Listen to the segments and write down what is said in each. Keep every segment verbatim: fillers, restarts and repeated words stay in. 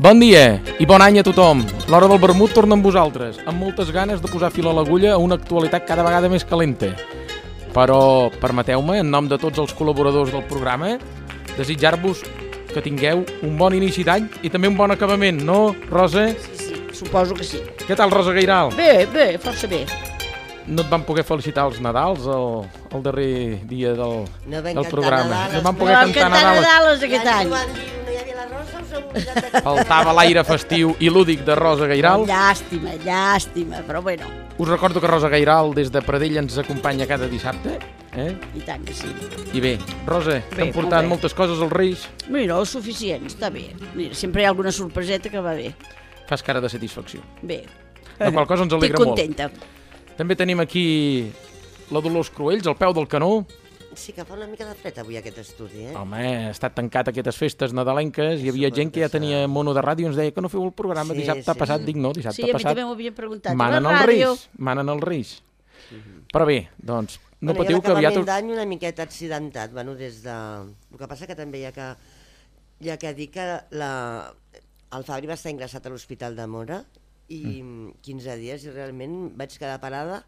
Bon dia i bon any a tothom. L'hora del vermut torna amb vosaltres, amb moltes ganes de posar fil a l'agulla a una actualitat cada vegada més calenta. Però permeteu-me, en nom de tots els col·laboradors del programa, desitjar-vos que tingueu un bon inici d'any i també un bon acabament, no, Rosa? Sí, sí, suposo que sí. Què tal, Rosa Gairal? Bé, bé, força bé. No et van poder felicitar els Nadals el, el darrer dia del, no del programa? No van poder no cantar Nadales, Nadales aquest any. No hi havia la Rosa, us heu oblidat de... Faltava l'aire festiu i lúdic de Rosa Gairal. Llàstima, llàstima, però bueno. Us recordo que Rosa Gairal des de Pradell ens acompanya cada dissabte. Eh? I tant que sí. I bé, Rosa, t'han portat moltes coses als Reis? Mira, suficient, està bé. Mira, sempre hi ha alguna sorpreseta que va bé. Fas cara de satisfacció. Bé. La qual cosa ens alegra molt. Estic contenta. També tenim aquí la Dolors Cruells, al peu del canó. Sí que fa una mica de fred avui aquest estudi, eh? Home, ha estat tancat aquestes festes nadalenques, hi havia gent que ja tenia mono de ràdio i ens deia que no feu el programa sí, dissabte sí, passat. sí. Dic no, dissabte sí, passat. Sí, a mi també m'ho havien preguntat. Manen els Reis, manen els Reis. Uh-huh. Però bé, doncs, no bueno, patiu que aviat... L'acabament d'any una miqueta accidentat, bueno, des de... El que passa que també hi ha que, hi ha que dir que la... el Fabri va estar ingressat a l'Hospital de Móra i mm. quinze dies i realment vaig quedar parada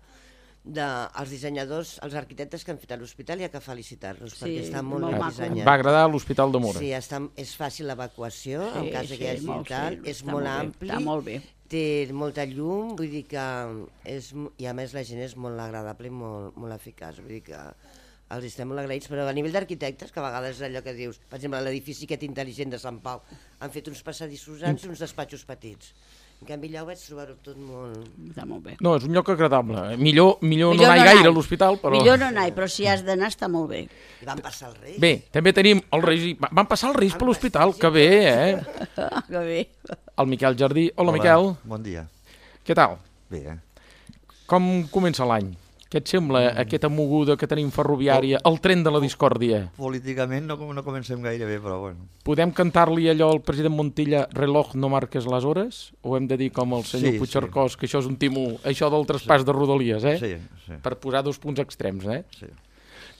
dels dissenyadors, els arquitectes que han fet a l'hospital i ha que felicitar-los sí, perquè està molt, molt ben dissenyat. Va agradar l'Hospital de Móra. Sí, està, és fàcil l'evacuació, sí, en cas sí, que hi hagi molt, tal, sí, és molt, molt ampli, està molt bé. Té molta llum, vull dir que és, i a més la gent és molt agradable i molt, molt eficaç, vull dir que els estem molt agraïts, però a nivell d'arquitectes, que a vegades és allò que dius, per exemple, l'edifici aquest intel·ligent de Sant Pau, han fet uns passadissos grans i uns despatxos petits. En canvi, allà ho vaig trobar-ho tot molt... Està molt bé. No, és un lloc agradable. Millor, millor, millor no anar no gaire a l'hospital, però... Millor no anar, però si has d'anar està molt bé. I van passar els Reis. Bé, també tenim els Reis... Van passar els Reis per l'hospital, que bé, eh? Que bé. El Miquel Jardí. Hola, Hola, Miquel. Bon dia. Què tal? Bé, eh? Com comença l'any? Què et sembla mm. aquesta moguda que tenim ferroviària, el tren de la discòrdia? Políticament no, no comencem gaire bé, però bueno. Podem cantar-li allò al president Montilla, reloj no marques les hores? O hem de dir com el senyor sí, Puigcercós, sí. que això és un timo, això del traspàs sí. de Rodalies, eh? Sí, sí. Per posar dos punts extrems, eh? Sí.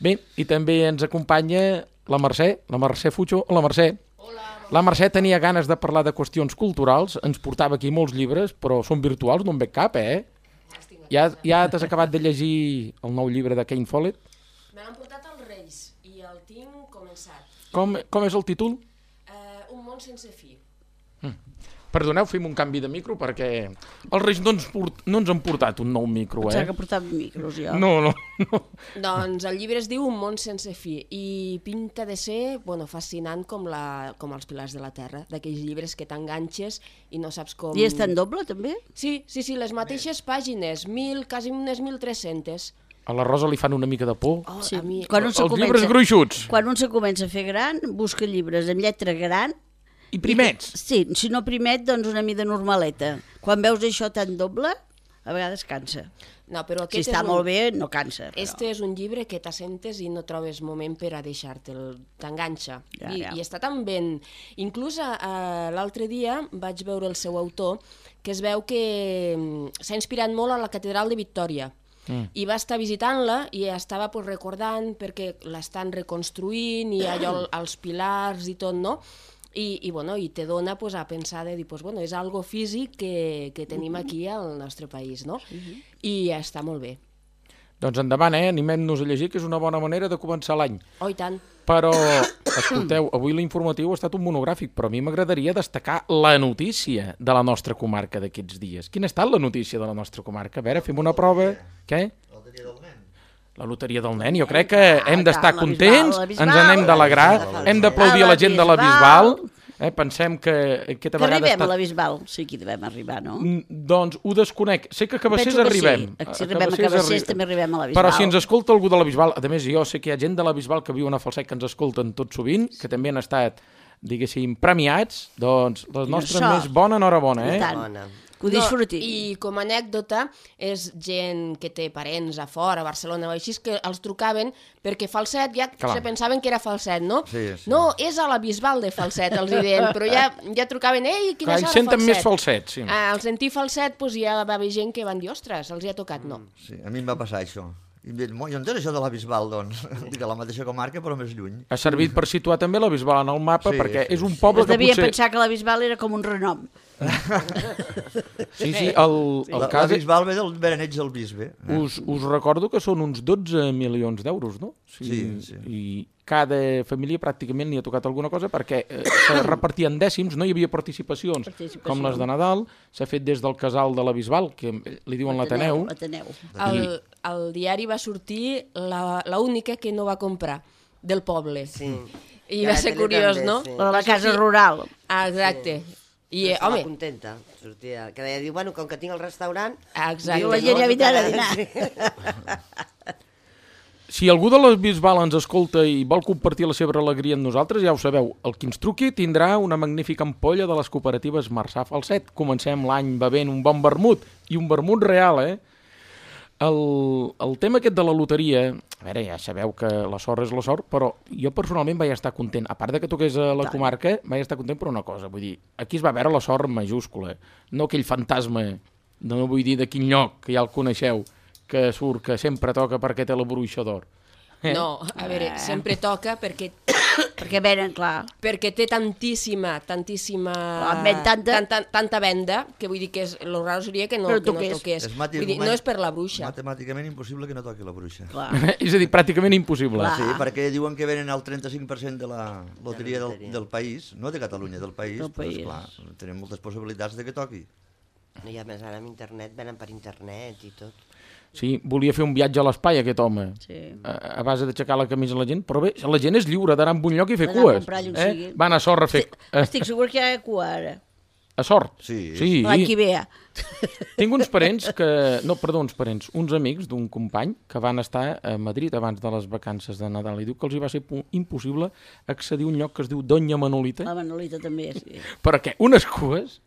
Bé, i també ens acompanya la Mercè, la Mercè Fucho. Hola, Mercè. Hola. La Mercè tenia ganes de parlar de qüestions culturals, ens portava aquí molts llibres, però són virtuals, no en veig cap, eh? Ja, ja t'has acabat de llegir el nou llibre de Ken Follett? Me l'han portat els Reis i el tinc començat. Com, com és el títol? Uh, un món sense fi. Mm. Perdoneu, fem un canvi de micro perquè els Reis no ens, port, no ens han portat un nou micro, eh? Pensava que portava micros, jo. No, no, no. Doncs el llibre es diu Un món sense fi i pinta de ser bueno, fascinant com, la, com els pilars de la terra, d'aquells llibres que t'enganxes i no saps com... I està en doble, també? Sí, sí, sí, les mateixes pàgines, mil, quasi unes mil tres-centes. A la Rosa li fan una mica de por. Oh, sí. a mi... Quan un els comença, llibres gruixuts. Quan un se comença a fer gran, busca llibres amb lletra gran. I primets. I, sí, si no primet, doncs una mida normaleta. Quan veus això tan doble, a vegades cansa. No, però si està un... molt bé, no cansa. Però... Este és un llibre que t'assentes i no trobes moment per a deixar-te'l, t'enganxa. Ja, I, ja. I està tan ben... Inclús uh, l'altre dia vaig veure el seu autor, que es veu que s'ha inspirat molt a la catedral de Victòria. Mm. I va estar visitant-la i estava pues, recordant perquè l'estan reconstruint i allò, els pilars i tot, no? I, i, bueno, i te dona pues, a pensar de dir, pues, bueno, és algo físic que, que tenim aquí al nostre país, no? Uh-huh. I està molt bé. Doncs endavant, eh? Animem-nos a llegir, que és una bona manera de començar l'any. Oh, i tant. Però, escolteu, avui l'informatiu ha estat un monogràfic, però a mi m'agradaria destacar la notícia de la nostra comarca d'aquests dies. Quina ha estat la notícia de la nostra comarca? A veure, fem una prova. Què? La loteria del nen. La loteria del nen. Jo crec que hem d'estar contents, ens n'hem d'alegrar, hem d'aplaudir a la gent de la Bisbal Eh? Pensem que aquesta Que vegada... arribem ha a la estat... Bisbal, sí que hi devem arribar, no? Mm, Doncs ho desconec. Sé que a Cabassers Penso que arribem. sí. Si arribem a Cabassers també arribem a la Bisbal. Però si ens escolta algú de la Bisbal, a més jo sé que hi ha gent de la Bisbal que viu a Falset que ens escolten tot sovint, que també han estat, diguéssim, premiats, doncs la nostra sort. més bona enhorabona, I eh? tant. Bona. Que ho disfruti. No, I com a anècdota, és gent que té parents a fora, a Barcelona o així, que els trucaven perquè Falset ja Clar. se pensaven que era Falset, no? Sí, sí. No, és a la Bisbal de Falset, els hi deien, però ja, ja trucaven, ei, quina Clar, és ells hora senten Falset? més Falset, sí. Ah, al sentir Falset, doncs ja va haver gent que van dir, ostres, els hi ha tocat, no. Sí, a mi em va passar això. I em diuen, jo entenc això de la Bisbal, doncs. Dic, a la mateixa comarca, però més lluny. Ha servit per situar també la Bisbal en el mapa, Sí, perquè sí, és un sí. poble Es que devia potser... pensar que la Bisbal era com un renom. Sí, sí, el, el La, la cas... Bisbal ve del Bereneig del Bisbe. Eh? Us, us recordo que són uns dotze milions d'euros, no? Sí, sí. I cada família pràcticament li ha tocat alguna cosa perquè eh, se repartien dècims, no hi havia participacions, Participació. com les de Nadal, s'ha fet des del casal de la Bisbal, que li diuen l'Ateneu. L'Ateneu. El, el diari va sortir la, la única que no va comprar, del poble. Sí. I I va la ser tele curiós, també, no? sí. La de la Va casa sortir- rural. Ah, exacte. I, eh, Estava home, contenta. Sortia, que deia, diu, bueno, com que tinc el restaurant... exacte. Diu, la gent ja vindrà a dinar. Si algú de la Bisbal ens escolta i vol compartir la seva alegria amb nosaltres, ja ho sabeu, el qui ens truqui tindrà una magnífica ampolla de les cooperatives Marçà Falset. Comencem l'any bevent un bon vermut, i un vermut real, eh? El, el tema aquest de la loteria, a veure, ja sabeu que la sort és la sort, però jo personalment vaig estar content. A part de que toqués a la comarca, vaig estar content per una cosa. Vull dir, aquí es va veure la sort majúscula, no aquell fantasma, no vull dir de quin lloc, que ja el coneixeu, que surt, que sempre toca perquè té la bruixa d'or. Eh? No, a veure, sempre toca perquè Perquè venen, clar. perquè té tantíssima, tantíssima... En ven tanta. tanta, tanta venda, que vull dir que és, lo raro seria que no, Però que no toqués. toqués. És mati- Vull dir, no és per la bruixa. Matemàticament impossible que no toqui la bruixa. Clar. És a dir, pràcticament impossible. Clar. Sí, perquè diuen que venen el trenta-cinc per cent de la loteria del, loteria. del país, no de Catalunya, del país, Del però país. esclar, tenim moltes possibilitats de que toqui. I a més, ara amb internet, venen per internet i tot. Sí, volia fer un viatge a l'espai, aquest home, Sí. a, a base d'aixecar la camisa a la gent, però bé, la gent és lliure d'anar a un lloc i fer D'anar a cues. comprar allà on Eh? sigui. Van a Sort a fer... Eh, Estic segur que hi ha cua ara. a Sort? Sí. Sí. L'any que ve. Tinc uns parents que... No, perdó, uns parents, uns amics d'un company que van estar a Madrid abans de les vacances de Nadal i diu que els hi va ser pu- impossible accedir a un lloc que es diu Doña Manolita, La Manolita també, sí. perquè unes cues...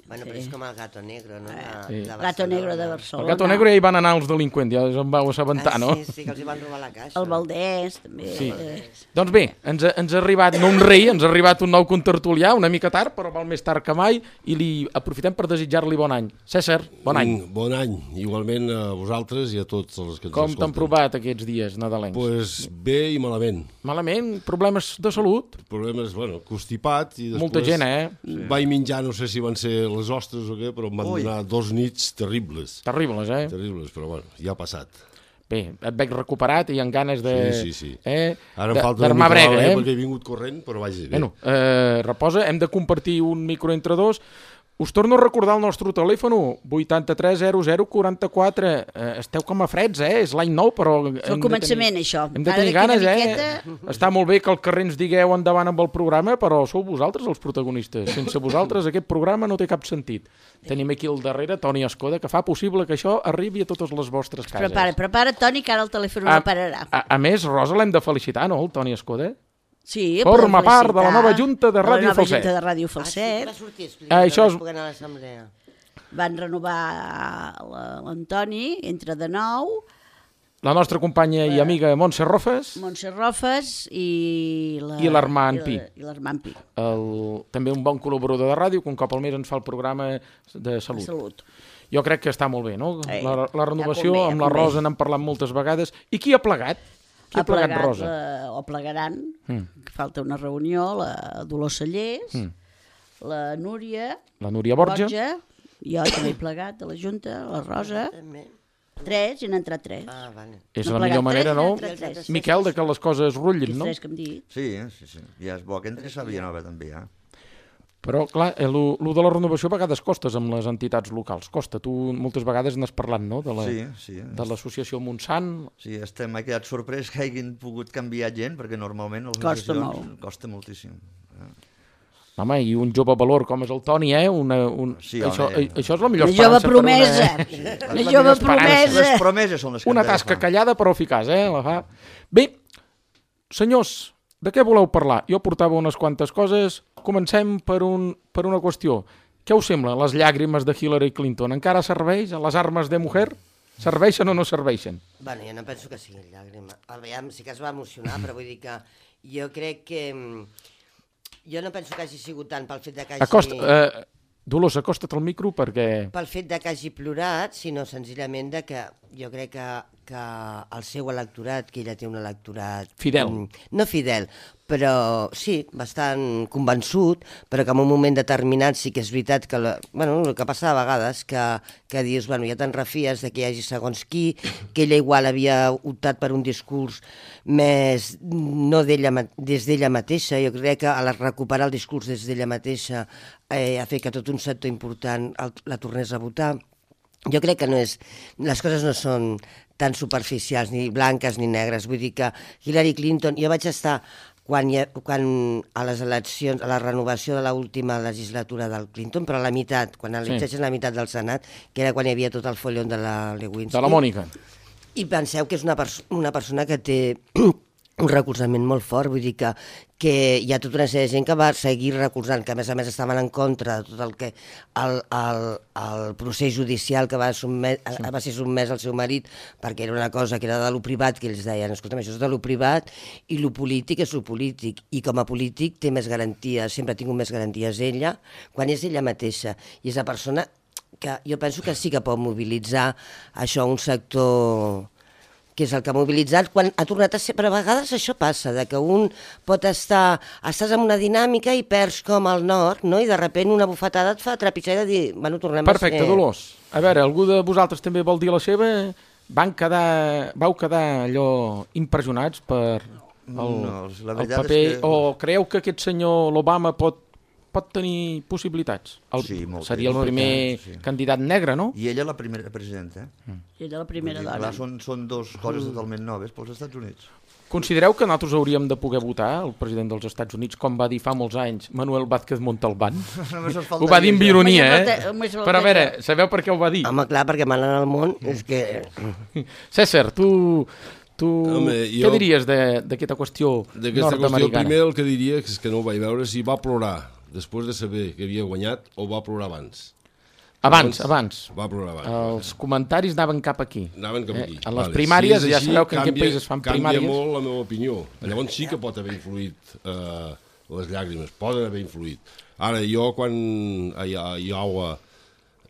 Bueno, però és com el Gato Negro, no? De, Sí. de Gato Negro de El Barcelona. Gato Negro ja hi van anar els delinqüents, ja us en vau assabentar, Ah, no? sí, sí, que els hi van robar la caixa. El Valdès, també. Sí. Eh, Doncs bé, ens ha, ens ha arribat, no un rei, ens ha arribat un nou contertulià, una mica tard, però val més tard que mai, i li aprofitem per desitjar-li bon any. César, bon any. Mm, Bon any, igualment a vosaltres i a tots els que ens Com escolten. t'han provat aquests dies nadalencs? Pues bé i malament. Malament? Problemes de salut? Problemes, bueno, constipat i després... Molta gent, eh? Vaig menjar, no sé si van ser les ostres o què, però em van Ui. donar dos nits terribles. Terribles, eh? Terribles, però bueno, ja ha passat. Bé, et veig recuperat i amb ganes de... Sí, sí, sí. Eh? Ara de- em falta una d'armar mica brega, d'alè eh? perquè he vingut corrent, però vaja, bé. Bueno, eh, reposa, hem de compartir un micro entre dos. Us torno a recordar el nostre telèfon, vuitanta-tres zero zero quaranta-quatre. Eh, esteu com a freds, eh? És l'any nou, però... És el començament, això. Hem de Ara tenir d'aquí una ganes, eh? miqueta- Està molt bé que al carrer ens digueu endavant amb el programa, però sou vosaltres els protagonistes. Sense vosaltres aquest programa no té cap sentit. Tenim aquí al darrere Toni Escoda, que fa possible que això arribi a totes les vostres cases. Prepara, prepara, Toni, que ara el telèfon A, no pararà. a, a més, Rosa l'hem de felicitar, no, el Toni Escoda? Sí, Forma podem part de la felicitar nova junta de Ràdio la nova Falset. junta de Ràdio Ah, sí, que Falset. va sortir, explica, Ah, ah, això això és- és... a l'assemblea. Van renovar la- l'Antoni, entra de nou, La nostra companya i amiga Montse Rofes, Montse Rofes i la- I l'Armand i la- Pi. I l'Armand Pi, el, també un bon col·laborador de ràdio, que un cop al mes ens fa el programa de de salut. Salut. Jo crec que està molt bé, no? Eh, La, la renovació, ja convé, ja amb la convé. Rosa n'hem parlat moltes vegades. I qui ha plegat? Qui ha, plegat, Rosa? La, o plegaran, Mm. que falta una reunió, la Dolors Sallés, Mm. la Núria La Núria Borja. jo també he plegat de la Junta, la Rosa, També. tres, i n'han entrat tres. Ah, vale. És No la ha plegat millor manera, tres, no? n'ha entrat tres. Miquel, de que les coses rutllin, Els no? tres que hem dit. Sí, sí, sí. Ja és bo que entri Sàvia Nova també, ja. Però, clar, el de la renovació a vegades costes amb les entitats locals. Costa. Tu moltes vegades n'has parlat, no? De la, Sí, sí. de l'associació Montsant. Sí, estem, he quedat sorprès que hagin pogut canviar gent, perquè normalment les Costa associacions molt. costa moltíssim. Eh? Home, i un jove valor com és el Toni, eh? Una, un... Sí, això, home. això és la millor Una jove esperança per promesa. una... Una jove Les promesa. promeses són les que Una hem de tasca agafar. callada però eficaç, eh? La fa. Bé, senyors, de què voleu parlar? Jo portava unes quantes coses. Comencem per, un, per una qüestió. Què us sembla, les llàgrimes de Hillary Clinton? Encara serveix? Les armes de mujer? Serveixen o no serveixen? Bueno, jo no penso que sigui llàgrima. Aviam, sí que es va emocionar, però vull dir que jo crec que... Jo no penso que hagi sigut tant pel fet de que hagi... Acosta, eh, Dolors, acosta't al micro perquè... Pel fet de que hagi plorat, sinó senzillament de que jo crec que, que el seu electorat, que ella té un electorat... Fidel. mm, No fidel, però sí, bastant convençut, però que en un moment determinat sí que és veritat que... La, bueno, el que passa a vegades, que, que dius, bueno, ja te'n refies de que hi hagi segons qui, que ella igual havia optat per un discurs més no d'ella, des d'ella mateixa. Jo crec que a la, recuperar el discurs des d'ella mateixa eh, ha fet que tot un sector important el, la tornés a votar. Jo crec que no és, les coses no són tan superficials, ni blanques ni negres. Vull dir que Hillary Clinton... Jo vaig estar quan, quan a les eleccions, a la renovació de l'última legislatura del Clinton, però a la meitat, quan elegeixen sí. la meitat del Senat, que era quan hi havia tot el follon de la Lewinsky. De la Mònica. I penseu que és una, pers una persona que té un recolzament molt fort, vull dir que, que hi ha tota una sèrie de gent que va seguir recolzant, que a més a més estaven en contra de tot el que el, el, el procés judicial que va, sotmet, sí. va ser sotmès al seu marit, perquè era una cosa que era de lo privat, que ells deien, escolta'm, això és de lo privat i lo polític és lo polític, i com a polític té més garanties, sempre ha tingut més garanties ella, quan és ella mateixa, i és la persona que jo penso que sí que pot mobilitzar això un sector que és el que ha mobilitzat quan ha tornat a ser... Però a vegades això passa, de que un pot estar... Estàs en una dinàmica i perds com el nord, no? I de sobte una bufetada et fa trepitjar i de dir, bueno, tornem Perfecte, a ser... Dolors. A veure, algú de vosaltres també vol dir la seva? Van quedar... Vau quedar allò impressionats per el, No, la el veritat paper... és que... O creieu que aquest senyor, l'Obama, pot, pot tenir possibilitats? El, Sí, moltes, seria el primer moltes, sí. candidat negre, no? I ella la primera presidenta. Eh? I era la primera Vull dir, dona. clar, són, són dos coses totalment noves pels Estats Units. Considereu que nosaltres hauríem de poder votar el president dels Estats Units, com va dir fa molts anys Manuel Vázquez Montalbán? Només ens Ho va dir amb ironia, Només eh? falta- només falta Però a veure, això. sabeu per què ho va dir? Home, clar, perquè manen al món, és que... César, tu... Tu Home, què jo- diries de- d'aquesta qüestió D'aquesta qüestió, nord-americana? primer el que diria és que no ho vaig veure si va plorar després de saber que havia guanyat o va plorar abans. Abans, abans. Va plorar abans. Els comentaris anaven cap aquí. Anaven cap Eh, aquí. en les primàries, ja sabeu que en aquest país es fan primàries. Canvia molt la meva opinió. Llavors sí que pot haver influït eh, les llàgrimes, poden haver influït. Ara, jo quan a Iowa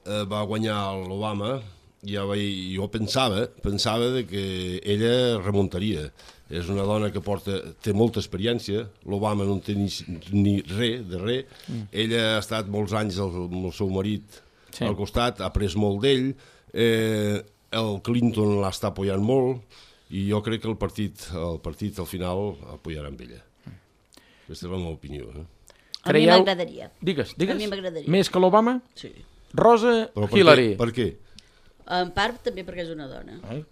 eh, va guanyar l'Obama, ja vaig, jo pensava, pensava de que ella remuntaria. És una dona que porta, té molta experiència, l'Obama no en té ni, ni res de res, mm. ella ha estat molts anys el, amb el seu marit sí. al costat, ha après molt d'ell, eh, el Clinton l'està apoyant molt, i jo crec que el partit, el partit al final apoyarà amb ella. Mm. Aquesta és la meva opinió. Eh? A mi m'agradaria. Digues, digues. A mi m'agradaria. Més que l'Obama? Sí. Rosa Però per Hillary. Què? Per què? En part també perquè és una dona. Ai.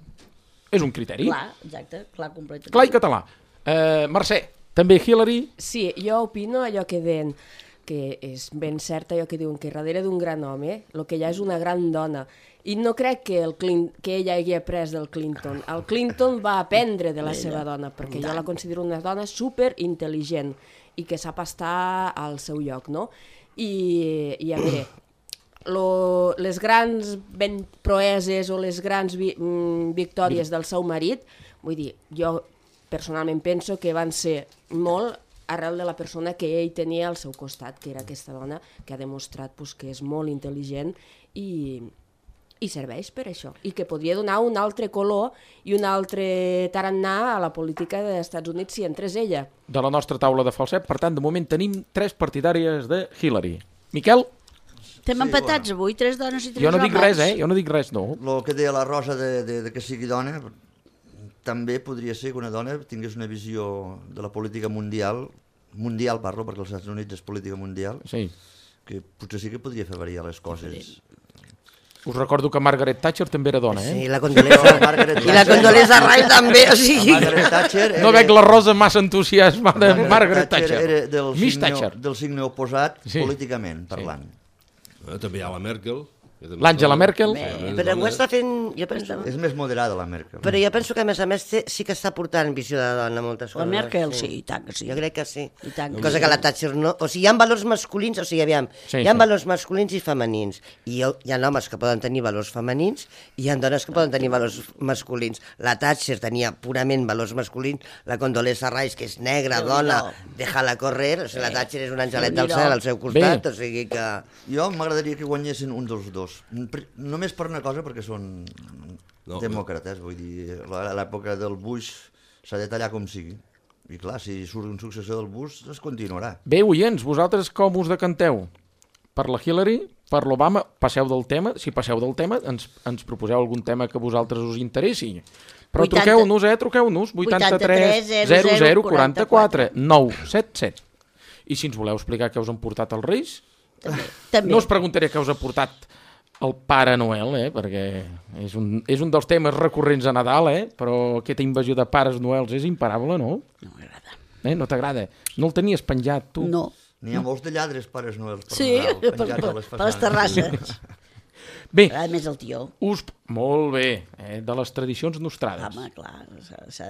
És un criteri. Clar, exacte, clar, completament. Clar i català. Uh, Mercè, també Hillary? Sí, jo opino allò que deien, que és ben cert allò que diuen, que darrere d'un gran home, el que hi ha és una gran dona. I no crec que, el Clin que ella hagi après del Clinton. El Clinton va aprendre de la seva dona, perquè jo la considero una dona superintel·ligent i que sap estar al seu lloc, no? I, i a veure, lo, les grans ben proeses o les grans vi mm, victòries del seu marit, vull dir, jo personalment penso que van ser molt arrel de la persona que ell tenia al seu costat, que era aquesta dona que ha demostrat pues, que és molt intel·ligent i, i serveix per això, i que podria donar un altre color i un altre tarannà a la política dels Estats Units si entrés ella. De la nostra taula de falset, per tant, de moment tenim tres partidàries de Hillary. Miquel? Estem Sí, empatats bueno. avui, tres dones i tres Jo no homes. dic res, eh? Jo no dic res, no. El que deia la Rosa de, de, de que sigui dona, també podria ser que una dona tingués una visió de la política mundial, mundial parlo, perquè els Estats Units és política mundial, Sí. que potser sí que podria fer variar les coses. Us recordo que Margaret Thatcher també era dona, eh? Sí, la Condoleezza, Margaret i la Thatcher. Condoleezza Rice també, o sigui... Margaret Thatcher era, No veig la Rosa massa entusiasmada de Margaret Thatcher. era del Miss signe, Thatcher. del signe oposat Sí. políticament parlant. Eh, també hi ha la Merkel. que també L'Àngela és dona. Merkel. Sí, Però ho dona. està fent... Jo penso... És més moderada la Merkel. Però jo penso que, a més a més, té- sí que està portant visió de dona moltes La coses. Merkel, sí, i tant que sí. Jo crec que sí. I tant que Cosa sí. que la Thatcher no... O sigui, hi ha valors masculins, o sigui, aviam, Sí, hi ha sí. valors masculins i femenins. I hi ha, hi ha homes que poden tenir valors femenins i hi ha dones que poden tenir valors masculins. La Thatcher tenia purament valors masculins, la Condoleezza Rice, que és negra, dona, déjala correr, o sigui, la Thatcher és un angelet del cel al seu costat, Bé. o sigui que... Jo m'agradaria que guanyessin un dels dos. Pr- Només per una cosa, perquè són No, demòcrates, vull dir, a l'època del Bush s'ha de tallar com sigui. I clar, si surt un successor del Bush, es continuarà. Bé, oients, vosaltres com us decanteu? Per la Hillary? Per l'Obama? Passeu del tema? Si passeu del tema, ens, ens proposeu algun tema que a vosaltres us interessi. Però vuitanta truqueu-nos, eh? Truqueu-nos. vuitanta-tres zero zero quaranta-quatre nou set set. I si ens voleu explicar què us han portat els Reis, També. no us preguntaré què us ha portat el Pare Noel, eh? Perquè és un, és un dels temes recurrents a Nadal, eh? Però aquesta invasió de Pares Noels és imparable, no? No m'agrada. Eh? No t'agrada? No el tenies penjat, tu? No. N'hi ha molts de lladres pares noels per Sí, Nadal, per, penjats per, a les per les façanes. terrasses. Bé, A més el tió. us... Molt bé, eh? De les tradicions nostrades. Home, clar, s'ha- s'ha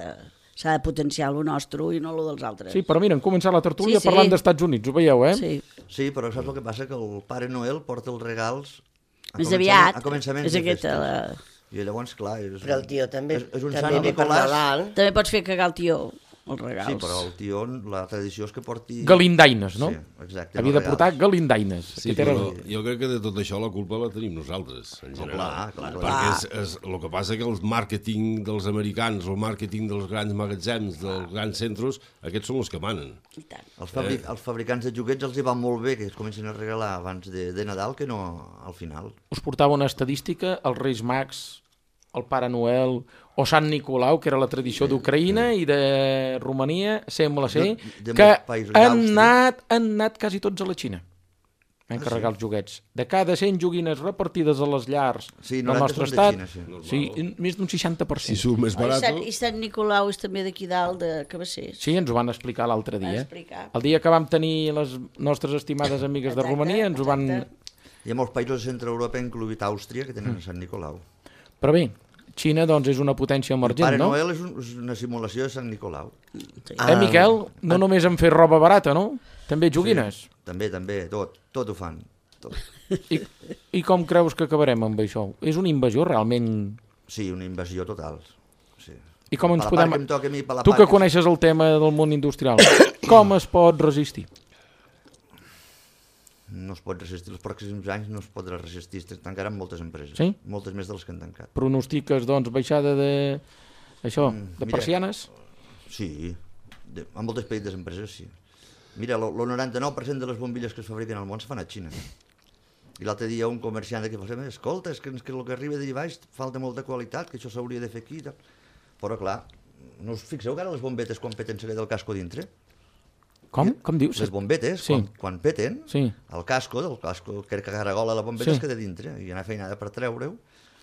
s'ha de potenciar el nostre i no el dels altres. Sí, però mira, hem començat la tertúlia Sí, sí. parlant d'Estats Units, ho veieu, eh? Sí. Sí, però saps el que passa? Que el Pare Noel porta els regals a Més començament- aviat. a començaments És de aquesta festes. la... I llavors, clar, és, Però el tio també, és, és un també Sant ve per Nicolàs. Nadal. També pots fer cagar el tió, els regals. Sí, però el tio, la tradició és que porti... Galindaines, no? Sí, exacte. Havia de els portar regals. galindaines. Sí, Aquest era però el- jo crec que de tot això la culpa la tenim nosaltres, en general. clar, clar, clar. Perquè és, és, el que passa que el màrqueting dels americans, el màrqueting dels grans magatzems, dels grans centres, aquests són els que manen. I tant. Els, fabri els fabricants de joguets els hi va molt bé que es comencin a regalar abans de, de Nadal que no al final. Us portava una estadística, els Reis Mags, el Pare Noel o Sant Nicolau, que era la tradició d'Ucraïna i de Romania, sembla ser, De- de que molts països han d'Àustria. anat, han anat quasi tots a la Xina. Van carregar els joguets. De cada cent joguines repartides a les llars Sí, del noranta nostre són de estat, Xina, sí. sí, més d'un seixanta per Si cent. surt més Oh, I, barat... Sant, I Sant Nicolau és també d'aquí dalt, de Cabassers. Sí, ens ho van explicar l'altre Van dia. explicar. El dia que vam tenir les nostres estimades amigues de Exacte, Romania, ens ho van... exacte. Hi ha molts països de centre Europa, incloït Àustria, que tenen Sant Nicolau. Però bé, Xina, doncs, és una potència emergent, Pare no? Noel és, un, és una simulació de Sant Nicolau. Sí. Eh, Miquel? No només en fer roba barata, no? També joguines. Sí, també, també, tot, tot ho fan. Tot. I, I com creus que acabarem amb això? És una invasió realment... Sí, una invasió total. Sí. I com ens Per la podem... part que em toca a mi, per la Tu part que coneixes el tema del món industrial, com es pot resistir? No es pot resistir, els pròxims anys no es podrà resistir, es tancaran moltes empreses, Sí? moltes més de les que han tancat. Pronostiques, doncs, baixada de... Això, de Mm, mira. persianes? Sí, de, en moltes petites empreses sí. Mira, el noranta-nou per cent de les bombilles que es fabriquen al món es fan a Xina. I l'altre dia un comerciant que va dir, escolta, és que, és que el que arriba d'allà baix falta molta qualitat, que això s'hauria de fer aquí. i tal. Però clar, no us fixeu que ara les bombetes quan peten se queda el casco dintre? Com? Com dius? Les bombetes, Sí. quan, quan peten, Sí. el casco, del casco que caragola la bombeta Sí. es queda dintre i anar feinada per treure-ho.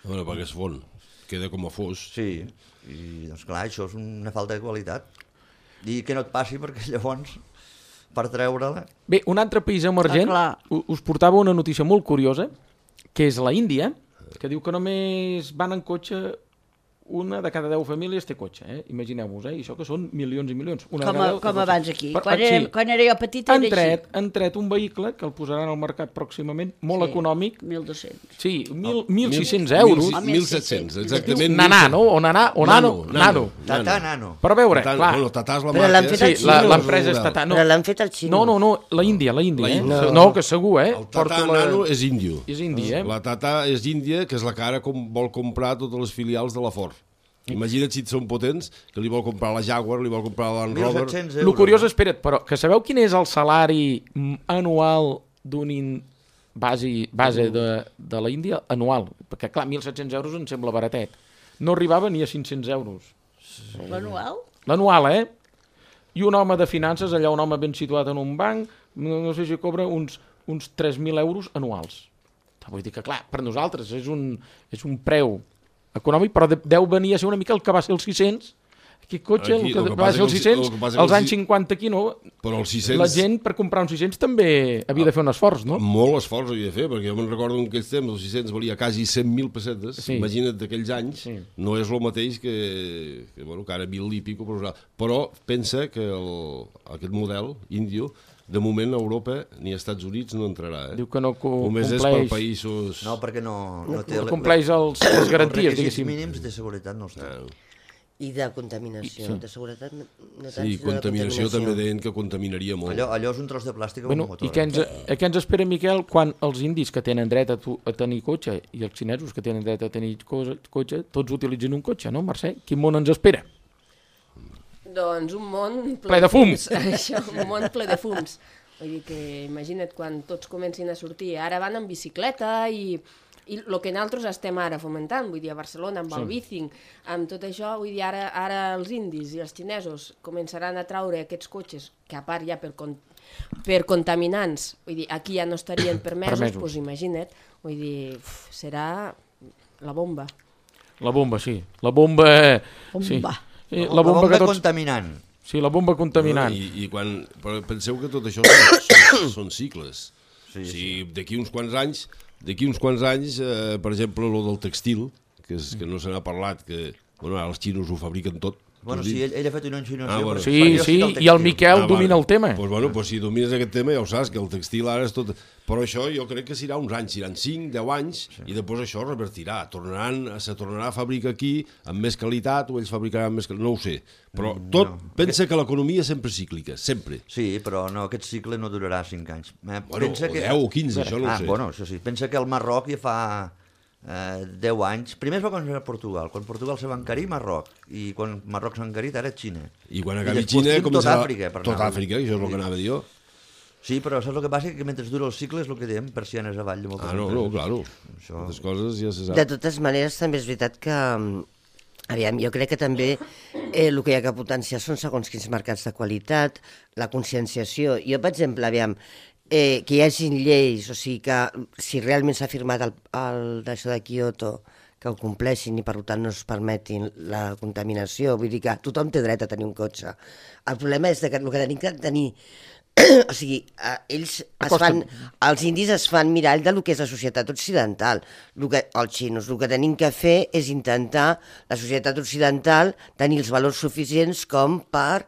A veure, perquè es fon. Queda com a fos. Sí, i doncs clar, això és una falta de qualitat. I que no et passi perquè llavors, per treure-la... Bé, un altre país emergent, Ah, clar. u- us portava una notícia molt curiosa, que és la Índia, que diu que només van en cotxe, una de cada deu famílies té cotxe, eh? Imagineu-vos, eh? I això que són milions i milions. Una Com, de cada a, deu té com cotxe. abans aquí. Però, quan, ah, era, sí. quan era jo petita Han era tret, així. han tret un vehicle que el posaran al mercat pròximament, molt Sí, econòmic, mil dos-cents. sí, mil, mil sis-cents euros. Ah, mil set-cents, exactament. Nanà, no? O nanà, o nano, nano. Tatà, nano. Però a veure, Tatà, clar, Bueno, Tatà és la Però marca. l'han fet eh? al sí, la- xino. l'empresa és Tatà. No, Però l'han fet al xino. no, no, no, la Índia, la Índia, La eh? Índia. No, que segur, eh? El Tatà Porto la- nano és índio. És indi, eh? La Tata és índia, que és la que ara com vol comprar totes les filials de la Ford. Imagina't si són potents, que li vol comprar la Jaguar, li vol comprar la Land mil Rover... set-cents El euros. curiós, espera't, però que sabeu quin és el salari mm, anual d'un in... base, base de, de la Índia? Anual. Perquè, clar, mil set-cents euros em sembla baratet. No arribava ni a cinc-cents euros. L'anual? L'anual, eh? I un home de finances, allà un home ben situat en un banc, no, no sé si cobra uns, uns tres mil euros anuals. Vull dir que, clar, per nosaltres és un, és un preu econòmic, però de, deu venir a ser una mica el que va ser els sis-cents. Aquest cotxe, Aquí, el que, el que va passa ser els que els- sis-cents, el que passa que als els anys si- cinquanta aquí, no? Però els sis-cents... La gent, per comprar uns sis-cents, també havia de fer un esforç, no? Molt esforç havia de fer, perquè jo me'n recordo en aquells temps, els sis-cents valia quasi cent mil pessetes, Sí. imagina't d'aquells anys, Sí. no és el mateix que, que, bueno, que ara mil i pico, però, però pensa que el, aquest model índio, de moment a Europa ni als Estats Units no entrarà. Eh? Diu que no co- Només és per compleix, països... No, perquè no, no té... no compleix els, les garanties, els requisits diguéssim. mínims de seguretat no els té. Ah, I de contaminació, de seguretat no, no tant, sí, sinó de contaminació també deien que contaminaria molt. Allò, allò és un tros de plàstic amb Bueno, un motor. i què ens, eh, què ens espera, Miquel, quan els indis que tenen dret a, tu, a tenir cotxe i els xinesos que tenen dret a tenir cosa, cotxe, tots utilitzin un cotxe, no, Mercè? Quin món ens espera? Doncs un món ple, Ple de fum. Això, un món ple de fums. Vull dir que imagina't quan tots comencin a sortir. Ara van en bicicleta i, i el que nosaltres estem ara fomentant, vull dir, a Barcelona, amb sí. el bicing, amb tot això, vull dir, ara, ara els indis i els xinesos començaran a traure aquests cotxes, que a part ja per, con, per contaminants, vull dir, aquí ja no estarien permesos, Permesos. doncs imagina't, vull dir, uf, serà la bomba. La bomba, sí. La bomba... Sí. Bomba. Sí, La bomba, que tots... contaminant. Sí, la bomba contaminant. I, i quan, però penseu que tot això són, són, són cicles. Sí, o sigui, d'aquí uns quants anys, d'aquí uns quants anys, eh, per exemple, lo del textil, que, és, que no se n'ha parlat, que bueno, ara els xinos ho fabriquen tot. Bueno, Vols sí, dir? ell, ell ha fet una insinuació. Ah, bueno. però Sí, jo sí, estic al i el textil. Miquel domina el tema. Pues, bueno, pues, si domines aquest tema ja ho saps, que el textil ara és tot... Però això jo crec que serà uns anys, seran cinc, deu anys, sí. I després això revertirà. Tornaran, se tornarà a fabricar aquí amb més qualitat o ells fabricaran més qualitat, no ho sé. Però tot, no. Pensa que l'economia és sempre cíclica, sempre. Sí, però no, aquest cicle no durarà cinc anys. Eh, Bueno, pensa o deu o quinze, això no ho ah, sé. Bueno, això sí. Pensa que el Marroc ja fa eh, deu anys... Primer es va començar a Portugal. Quan Portugal se va encarir, Marroc. I quan Marroc s'ha encarit, ara Xina. I quan I acabi després Xina tinc començarà... Tot Àfrica, per Tot anar. Àfrica, això és el que anava a dir jo. Sí, però saps el que passa? Que mentre dura el cicle és el que diem, persianes avall de moltes Ah, no, no, empreses. claro. Això... Moltes coses ja se sap. De totes maneres, també és veritat que, aviam, jo crec que també eh, el que hi ha que potenciar són segons quins mercats de qualitat, la conscienciació. Jo, per exemple, aviam, eh, que hi hagin lleis, o sigui que si realment s'ha firmat el, el d'això de Kyoto, que ho compleixin i per tant no es permetin la contaminació, vull dir que tothom té dret a tenir un cotxe. El problema és que el que tenim que tenir o sigui, eh, ells es fan, els indis es fan mirall de lo que és la societat occidental, lo que, els xinos. El que tenim que fer és intentar, la societat occidental, tenir els valors suficients com per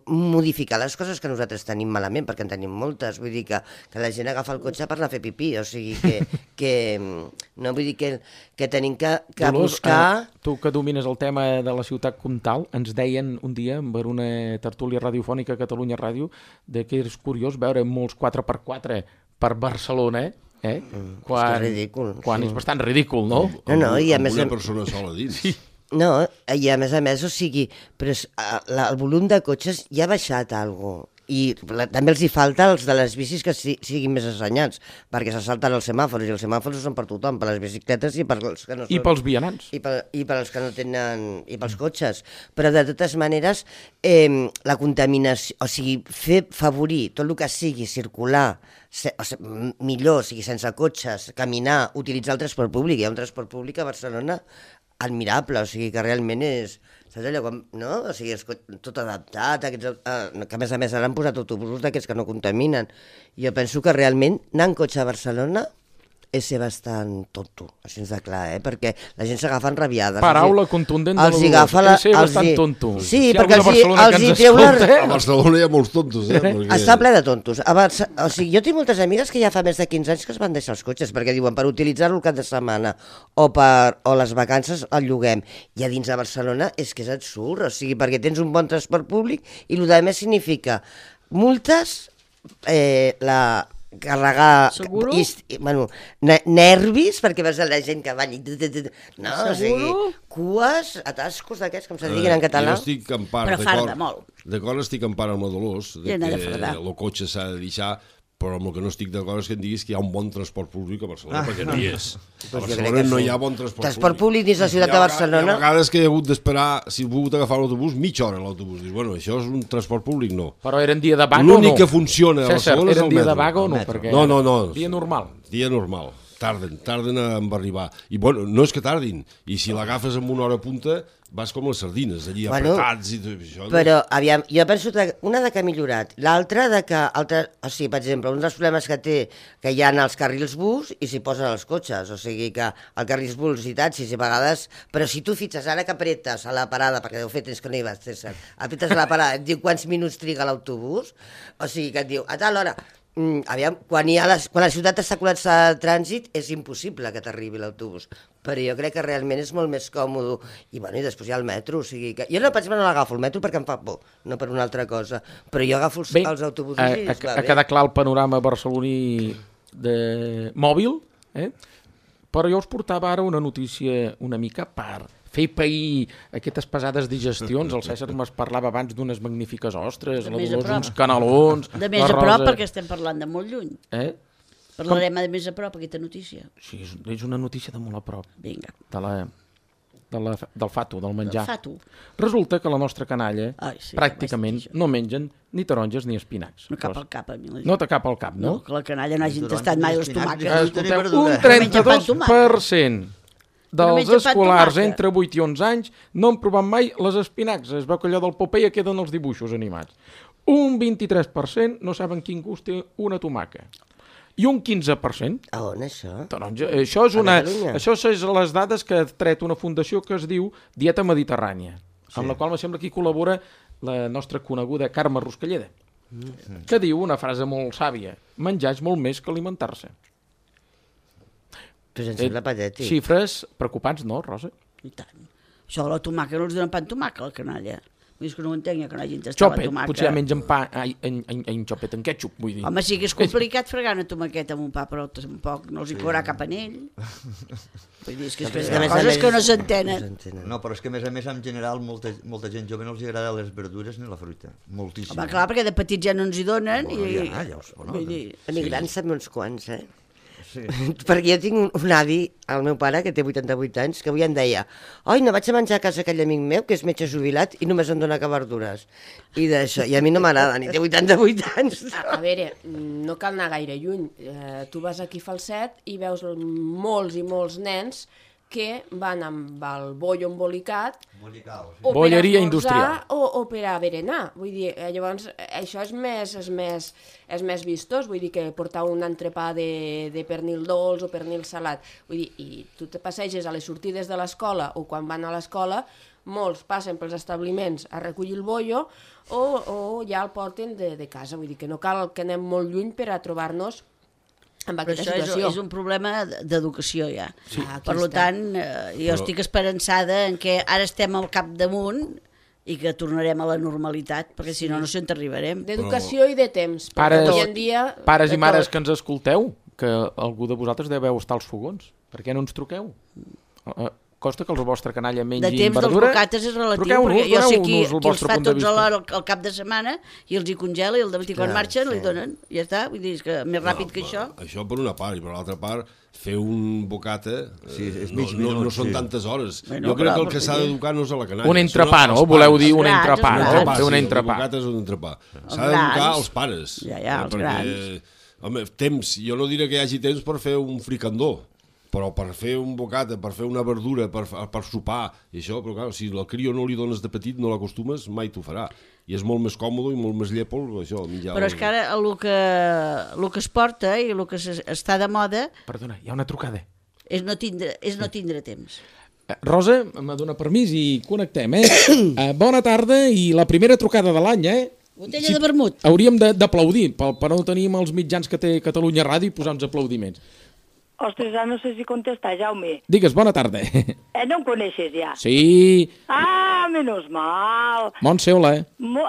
modificar les coses que nosaltres tenim malament, perquè en tenim moltes. Vull dir que, que la gent agafa el cotxe per anar a fer pipí, o sigui que, que no vull dir que, que tenim que, que Dolors, buscar... eh, tu que domines el tema de la ciutat comtal, ens deien un dia, per una tertúlia radiofònica a Catalunya Ràdio, de que és curiós veure molts quatre per quatre per Barcelona, eh? Mm, quan, és ridícul. Quan sí. és bastant ridícul, no? No, no, i a amb més... una persona sola dins. Sí. No, i a més a més, o sigui, però és, la, el volum de cotxes ja ha baixat alguna cosa. I la, també els hi falta els de les bicis que si, siguin més assenyats, perquè se salten els semàfors, i els semàfors són per tothom, per les bicicletes i per els que no són... I pels vianants. I, per, I per als que no tenen... I pels cotxes. Però de totes maneres, eh, la contaminació... O sigui, fer favorir tot el que sigui circular, se, o sigui, millor, o sigui, sense cotxes, caminar, utilitzar el transport públic. Hi ha un transport públic a Barcelona admirable, o sigui, que realment és... Saps allò com, no? O sigui, és tot adaptat, aquests, eh, que a més a més ara han posat autobusos d'aquests que no contaminen. Jo penso que realment anar en cotxe a Barcelona és ser bastant tonto, així de clar, eh? Perquè la gent s'agafa enrabiades. Paraula els hi, contundent de els hi l'Olors, agafa la, és ser els bastant hi, tonto. Sí, Si hi ha perquè algú de els hi, Barcelona els que hi ens treu la... escolta, A Barcelona hi ha molts tontos, eh? Perquè... Està ple de tontos. A Barça... O sigui, jo tinc moltes amigues que ja fa més de quinze anys que es van deixar els cotxes, perquè diuen per utilitzar-lo el cap de setmana o, per... o les vacances el lloguem. I a dins de Barcelona és que és absurd, o sigui, perquè tens un bon transport públic i el que més significa multes, eh, la... carregar Seguro? i, bueno, nervis perquè veus la gent que van i... No, o sigui, cues, atascos d'aquests, com se diguin en català. Jo estic en part Però farda d'acord. molt. D'acord, estic en part amb la Dolors, de Llena de que fardar. el cotxe s'ha de deixar, però amb el que no estic d'acord és que em diguis que hi ha un bon transport públic a Barcelona, perquè no hi és. A Doncs jo crec Barcelona que no sí. hi ha bon transport, Transport públic dins la ciutat Hi ha de vega- Barcelona. Hi ha vegades que he hagut d'esperar, si he pogut agafar l'autobús, mitja hora a l'autobús. Dius, bueno, això és un transport públic? No. Però eren dia de vaga o no? L'únic que funciona a César, Barcelona és eren el dia de metro. vaga o no? El metro. Perquè No, no, no. Dia normal. Dia normal. tarden, tarden a arribar. I bueno, no és que tardin, i si l'agafes amb una hora punta, vas com les sardines, allí Bueno, apretats i tot això. no? Però, aviam, jo penso que una de que ha millorat, l'altra de que, altre, o sigui, per exemple, un dels problemes que té que hi ha els carrils bus i s'hi posen els cotxes, o sigui que el carrils bus i taxis i a vegades, però si tu fitxes ara que apretes a la parada, perquè deu fer temps que no hi vas, César, apretes a la parada, et diu quants minuts triga l'autobús, o sigui que et diu, a tal hora, Mm, aviam, quan, hi ha les, quan la ciutat està col·lapsada de trànsit és impossible que t'arribi l'autobús, però jo crec que realment és molt més còmode i, bueno, i després hi ha el metro, o sigui que jo no, per exemple, no l'agafo el metro perquè em fa por, no per una altra cosa, però jo agafo els, Bé, els autobusos a, i a, es va a bé. quedar clar el panorama barceloní de mòbil, eh? Però jo us portava ara una notícia una mica per fer pair aquestes pesades digestions. El César me'n parlava abans d'unes magnífiques ostres, De la més a Dolors prop. uns canelons, De més la a prop, Rosa... perquè estem parlant de molt lluny. Eh? Parlarem de més a prop, aquesta notícia. Sí, és, és una notícia de molt a prop, Vinga, de la, de la, del fato, del menjar. fa tu. Resulta que la nostra canalla Ai, sí, pràcticament vaig dir això. no mengen ni taronges ni espinacs. No cap al cap a mi. La No te cap al cap, no? no? Que la canalla no hagin Taronges, tastat mai les espinacs, tomàquets. fruita i Escolteu, verdura. un No menja pa amb trenta-dos per cent No dels menja pa amb escolars tomàquet. entre vuit i onze anys no han provat mai les espinacs. Es veu que allò del Popeye queden els dibuixos animats. Un vint-i-tres per cent no saben quin gust té una tomaca. I un quinze per cent A on, això? taronja. Això, és A una, Catalunya? això és les dades que ha tret una fundació que es diu Dieta Mediterrània, sí. amb la qual me sembla que hi col·labora la nostra coneguda Carme Ruscalleda, mm. que diu una frase molt sàvia: menjar és molt més que alimentar-se. Pues em sembla patètic. Xifres preocupants, no, Rosa? I tant. Això de la tomaca no els donen pa amb tomaca, la canalla. Vull dir que no ho entenc, que no hagin tastat la Xopet, tomaca. potser ja mengen pa ai, en, en, en xopet, en ketchup, vull dir. Home, sí que és complicat fregar una tomaqueta amb un pa, però tampoc no els hi caurà cap anell. Vull dir, és que, és que No, hi però ha és que a coses més que no no s'entenen. s'entenen. No, però és que a més a més en general molta, molta gent jove no els agrada les verdures ni la fruita. Moltíssim. Home, clar, perquè de petits ja no ens hi donen. Bueno, i... ja, ja us- bueno, vull dir, A mi grans també uns quants, eh? Sí. Perquè jo tinc un, un avi, el meu pare, que té vuitanta-vuit anys, que avui em deia: oi, no vaig a menjar a casa aquell amic meu, que és metge jubilat, i només em dona que verdures. I d'això, i a mi no m'agrada, ni té vuitanta-vuit anys. A veure, no cal anar gaire lluny. Eh, tu vas aquí a Falset i veus molts i molts nens que van amb el bollo embolicat Embolicao, sí. o Bolleria per esmorzar industrial. o, o per a berenar. Vull dir, eh, llavors, eh, això és més, és, més, és més vistós, vull dir que portar un entrepà de, de pernil dolç o pernil salat. Vull dir, i tu te passeges a les sortides de l'escola o quan van a l'escola, molts passen pels establiments a recollir el bollo o, o ja el porten de, de casa. Vull dir que no cal que anem molt lluny per a trobar-nos amb Però aquesta això és, situació. és un problema d'educació ja. Sí. Ah, aquí Per està. tant, eh, jo Però- estic esperançada en que ara estem al capdamunt i que tornarem a la normalitat, perquè si no, no sé on arribarem. D'educació i de temps. perquè Pares, avui en dia... pares de i mares tot. que ens escolteu, que algú de vosaltres deveu estar als fogons. Per què no ens truqueu? Uh, costa que el vostre canalla mengi De temps dels verdura. bocates és relatiu, Truqueu-nos, perquè jo sé qui, doneu-nos el qui els vostre fa punt de tots vista. alhora al, al cap de setmana i els hi congela i el dematí quan Clar, marxen sí. li donen. I ja està, vull dir, és que més ràpid que això. Això per una part, i per l'altra part, fer un bocata eh, Sí, és no, mig no, minut, no són sí. tantes hores. Bueno, jo crec clar, que el que perquè- s'ha d'educar no és a la canalla. Un entrepà, sinó no? als Voleu pares. dir un grans, entrepà, els no? grans. Fer un sí, entrepà. El bocat és un entrepà. S'ha grans. d'educar als pares. Ja, ja, eh, els perquè, grans. Home, temps, jo no diré que hi hagi temps per fer un fricandó, però per fer un bocata, per fer una verdura, per, per sopar, i això, però clar, si al crio no li dones de petit, no l'acostumes, mai t'ho farà. I és molt més còmode i molt més llépol, això, menjar... Però és que ara el que, el que es porta i el que es- està de moda Perdona, hi ha una trucada. és no tindre, és no tindre temps. Eh, Rosa, me dona permís i connectem, eh? eh? Bona tarda i la primera trucada de l'any, eh? Botella de vermut. Hauríem de- d'aplaudir, per, per no tenir els mitjans que té Catalunya Ràdio i posar uns aplaudiments. Ostres, ara no sé si contestar, Jaume. Digues, bona tarda. Eh, no em coneixes ja? Sí, Ah, menos mal. Montseola, eh? Mo...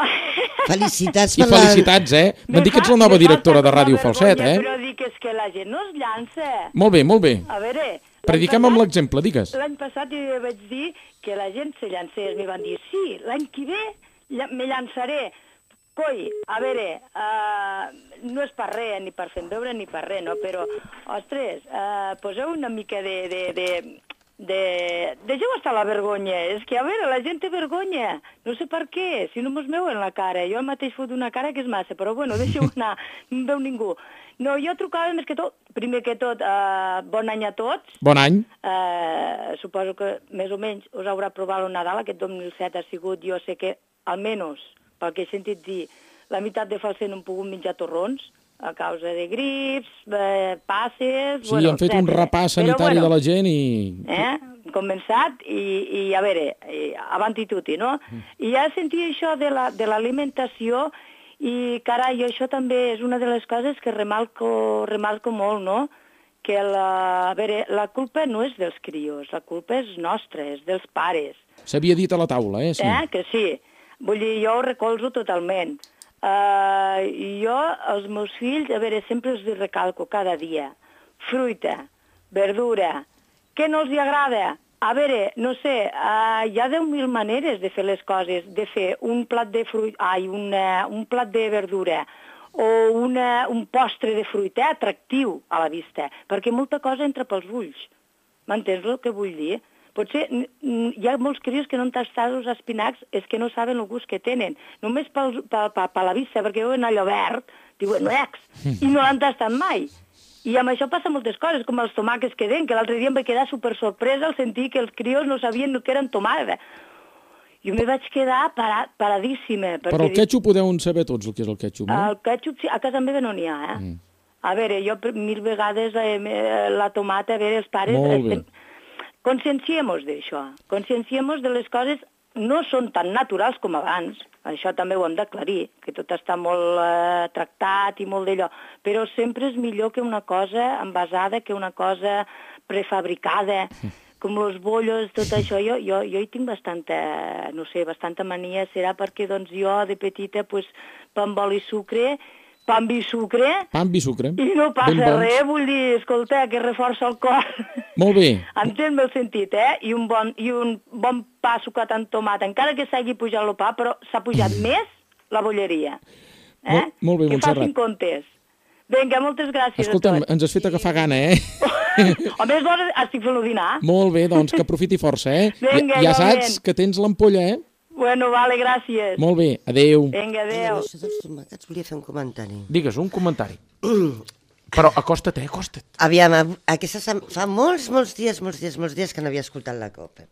Felicitats I per la... felicitats, eh? M'han dit que ets la nova directora de Ràdio Falset, eh? Però dic és que la gent no es llança. Molt bé, molt bé. A veure... l'any Prediquem amb passat- l'exemple, digues. L'any passat jo vaig dir que la gent se llancés. Mi van dir, sí, l'any que ve lla- me llançaré. Coi, a veure, uh, no és per res, ni per fer veure, ni per res, no? Però, ostres, uh, poseu una mica de, de, de, de... Deixeu estar la vergonya. És que, a veure, la gent té vergonya. No sé per què, si no mos veuen la cara. Jo mateix fot una cara que és massa, però bueno, deixeu anar, no em veu ningú. No, jo trucava més que tot, primer que tot, eh, bon any a tots. Bon any. Eh, suposo que més o menys us haurà provat el Nadal. Aquest dos mil set ha sigut, jo sé que, almenys, pel que he sentit dir, la meitat de falser no han pogut menjar torrons, a causa de grips, eh, passes... Sí, bueno, han fet un repàs sanitari bueno, de la gent i... Eh? Hem començat i, i a veure, i, avanti tutti, no? Mm. I ja sentia això de l'alimentació la, i, carai, això també és una de les coses que remarco, remarco molt, no? Que la, a veure, la culpa no és dels crios, la culpa és nostra, és dels pares. S'havia dit a la taula, eh? Sí. Eh? Que sí. Vull dir, jo ho recolzo totalment. Uh, jo, els meus fills, a veure, sempre els recalco cada dia. Fruita, verdura, què no els hi agrada? A veure, no sé, uh, hi ha deu mil maneres de fer les coses, de fer un plat de fruita, ai, una, un plat de verdura o una, un postre de fruita atractiu a la vista, perquè molta cosa entra pels ulls. M'entens el que vull dir? Potser hi ha molts crios que no han tastat els espinacs, és que no saben el gust que tenen. Només per, per, per, per la vista, perquè veuen allò verd, diuen, ex, i no l'han tastat mai. I amb això passa moltes coses, com els tomàquets que den, que l'altre dia em vaig quedar super sorpresa al sentir que els crios no sabien que eren tomàquets. Jo me vaig quedar parat, paradíssima. Però el ketchup ho deuen saber tots, el que és el ketchup, no? El ketchup, sí, a casa meva no n'hi ha, eh? Mm. A veure, jo mil vegades eh, la tomata, a veure, els pares... Molt bé. Estem... Conscienciemos d'això, conscienciemos de les coses, no són tan naturals com abans, això també ho hem d'aclarir, que tot està molt eh, tractat i molt d'allò, però sempre és millor que una cosa envasada, que una cosa prefabricada, com els bollos, tot això. Jo, jo, jo hi tinc bastanta, no sé, bastanta mania, serà perquè doncs, jo de petita, pues, pa amb oli i sucre, pa amb i sucre, pa amb i sucre, i no passa res, vull dir, escolta, que reforça el cor. Molt bé. Entén-me el sentit, eh? I un bon, i un bon pa sucat amb tomata, encara que s'hagi pujat el pa, però s'ha pujat mm. més la bolleria. Eh? Molt, molt bé, que Montserrat. Que facin comptes. Vinga, moltes gràcies Escolta'm, a tots. ens has fet agafar gana, eh? A més d'hora estic fent-lo dinar. Molt bé, doncs que aprofiti força, eh? Vinga, ja, ja igualment. saps que tens l'ampolla, eh? Bueno, vale, gràcies. Molt bé, adeu. Vinga, adeu. Això dels tomàquets volia fer un comentari. Digues, un comentari. Però acosta't, eh, acosta't. Aviam, aquesta sem... fa molts, molts dies, molts dies, molts dies que no havia escoltat la COPE.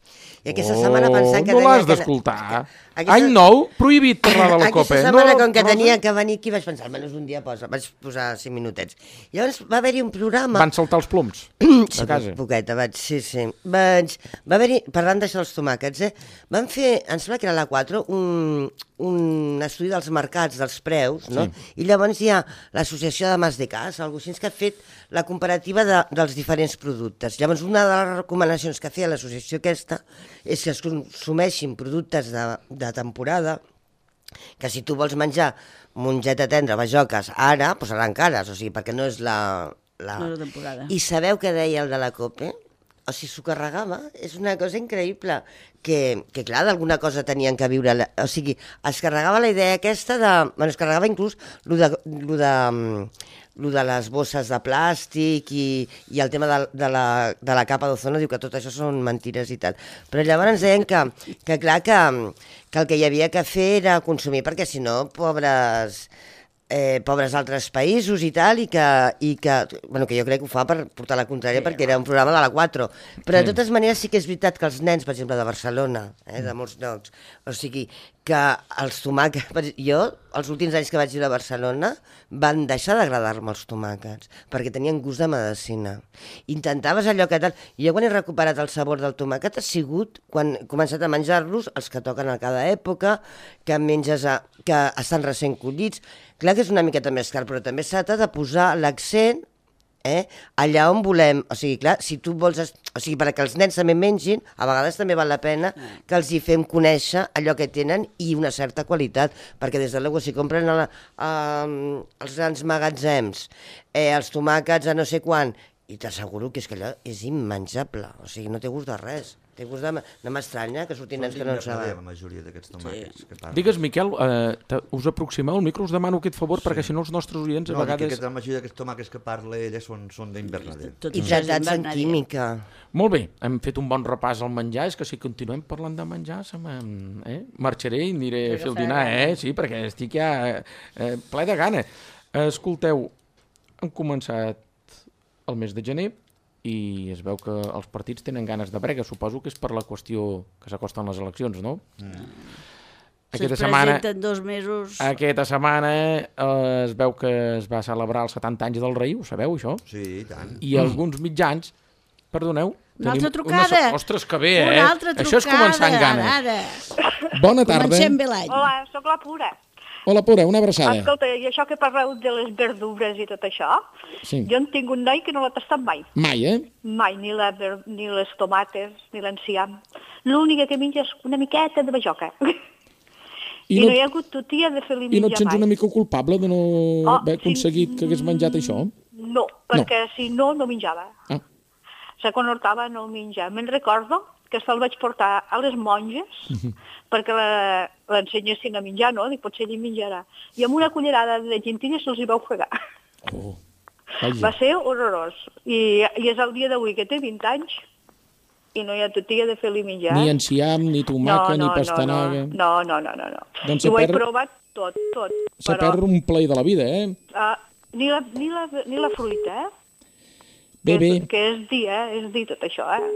I aquesta oh, setmana pensant que... no l'has que... d'escoltar. Aquesta... Any nou, prohibit parlar de la COPE. Aquesta setmana, no, com que Rosa... tenia que venir aquí, vaig pensar, almenys un dia posa, vaig posar cinc minutets. Llavors va haver-hi un programa... Van saltar els ploms sí, a casa. Poqueta, vaig, sí, sí. Vaig... Va haver-hi, parlant d'això dels tomàquets, eh? Van fer, em sembla que era la quatre, un, un estudi dels mercats, dels preus, no? Sí. I llavors hi ha l'associació de Mas de Cas, algú així, que ha fet la comparativa de, dels diferents productes. Llavors, una de les recomanacions que feia l'associació aquesta és que es consumeixin productes de, de temporada, que si tu vols menjar mongeta tendra, bajoques, ara, doncs seran cares, o sigui, perquè no és la... la... No és la temporada. I sabeu què deia el de la COPE? O sigui, s'ho carregava, és una cosa increïble, que, que clar, d'alguna cosa tenien que viure, la... o sigui, es carregava la idea aquesta de... Bueno, es carregava inclús lo de... Lo de lo de les bosses de plàstic i, i el tema de, de, la, de la capa d'ozono, diu que tot això són mentires i tal. Però llavors ens deien que, que clar, que, que el que hi havia que fer era consumir, perquè si no, pobres... Eh, pobres altres països i tal, i que, i que, bueno, que jo crec que ho fa per portar la contrària, sí, perquè era un programa de la quatre. Però sí. De totes maneres sí que és veritat que els nens, per exemple, de Barcelona, eh, de molts llocs, o sigui, que els tomàquets... Jo, els últims anys que vaig ir a Barcelona, van deixar d'agradar-me els tomàquets, perquè tenien gust de medicina. Intentaves allò que tal... I jo quan he recuperat el sabor del tomàquet ha sigut quan he començat a menjar-los, els que toquen a cada època, que menges a, que estan recent collits. Clar que és una miqueta més car, però també s'ha de posar l'accent eh, allà on volem. O sigui, clar, si tu vols... O sigui, perquè els nens també mengin, a vegades també val la pena que els hi fem conèixer allò que tenen i una certa qualitat, perquè des de l'ego, si compren a la, a, als grans magatzems eh, els tomàquets a no sé quan, i t'asseguro que és que allò és immenjable, o sigui, no té gust de res. Té gust de... No m'estranya que surtin nens que no en saben. La majoria d'aquests tomàquets que parlen. Digues, Miquel, eh, us aproximeu al micro, us demano aquest favor, perquè si no els nostres oients a No, dic vegades... que la majoria d'aquests tomàquets que parla ella són, són d'Invernader. I tratats en química. Molt bé, hem fet un bon repàs al menjar, és que si continuem parlant de menjar, se eh? marxaré i aniré a fer el dinar, eh? Sí, perquè estic ja eh, ple de gana. Escolteu, han començat el mes de gener, i es veu que els partits tenen ganes de brega. Suposo que és per la qüestió que s'acosten les eleccions, no? Mm. Aquesta setmana, presenten dos mesos... aquesta setmana eh, es veu que es va celebrar els setanta anys del rei, ho sabeu, això? Sí, i tant. I mm. alguns mitjans, perdoneu... Una altra trucada. Una... Ostres, que bé, eh? Una altra trucada. Això és començar amb ganes. Ara, ara. Bona tarda. Comencem bé l'any. Hola, sóc la Pura. Hola, Pura, una abraçada. Escolta, i això que parleu de les verdures i tot això, sí. Jo en tinc un noi que no l'ha tastat mai. Mai, eh? Mai, ni, la, ni les tomates, ni l'enciam. L'única que menja és una miqueta de bajoca. I, I no, no hi ha hagut tutia de fer-li menjar mai. I no et sents una mica culpable de no oh, haver aconseguit sí, que hagués menjat això? No, perquè no. Si no, no menjava. Ah. Se conhortava no menjar. Me'n recordo que se'l vaig portar a les monges uh-huh. perquè l'ensenyessin a menjar, no? Dic, potser ell menjarà. I amb una cullerada de gentilles se'ls hi va ofegar. Oh. Va ser horrorós. I, I és el dia d'avui que té vint anys i no hi ha tutia de fer-li menjar. Ni enciam, ni tomaca, no, no, ni pastanaga... No, no, no, no. no. Doncs I ho he perd... provat tot, tot. Se però... perd un play de la vida, eh? Uh, ni, la, ni, la, ni la fruita, eh? Bé, que bé. És, que és dir, eh? És dir tot això, eh?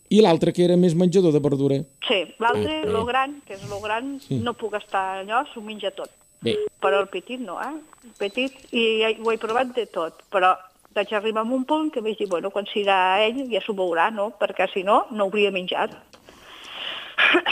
I l'altre, que era més menjador de verdura? Sí, l'altre, ah, lo gran, que és lo gran, sí. No puc estar allò, s'ho menja tot. Bé. Però el petit no, eh? El petit, i ho he provat de tot, però vaig arribar a un punt que vaig dir, bueno, quan serà ell ja s'ho veurà, no? Perquè si no, no hauria menjat.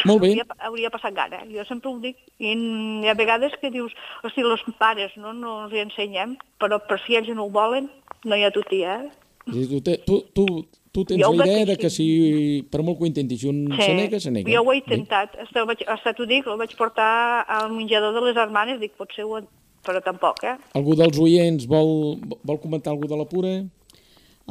Molt bé. Hauria, hauria passat gana, jo sempre ho dic. I hi ha vegades que dius, hosti, els pares no, no els hi ensenyem, però per si ells no ho volen, no hi ha tutia, eh? Tu, te, tu, tu, tu tens la idea de que si, per molt que ho intentis, si un sí. se nega, se nega. Jo ho he intentat, hasta, vaig, hasta t'ho dic, el vaig portar al menjador de les hermanes, dic, potser ho... però tampoc, eh? Algú dels oients vol, vol comentar alguna de la Pura?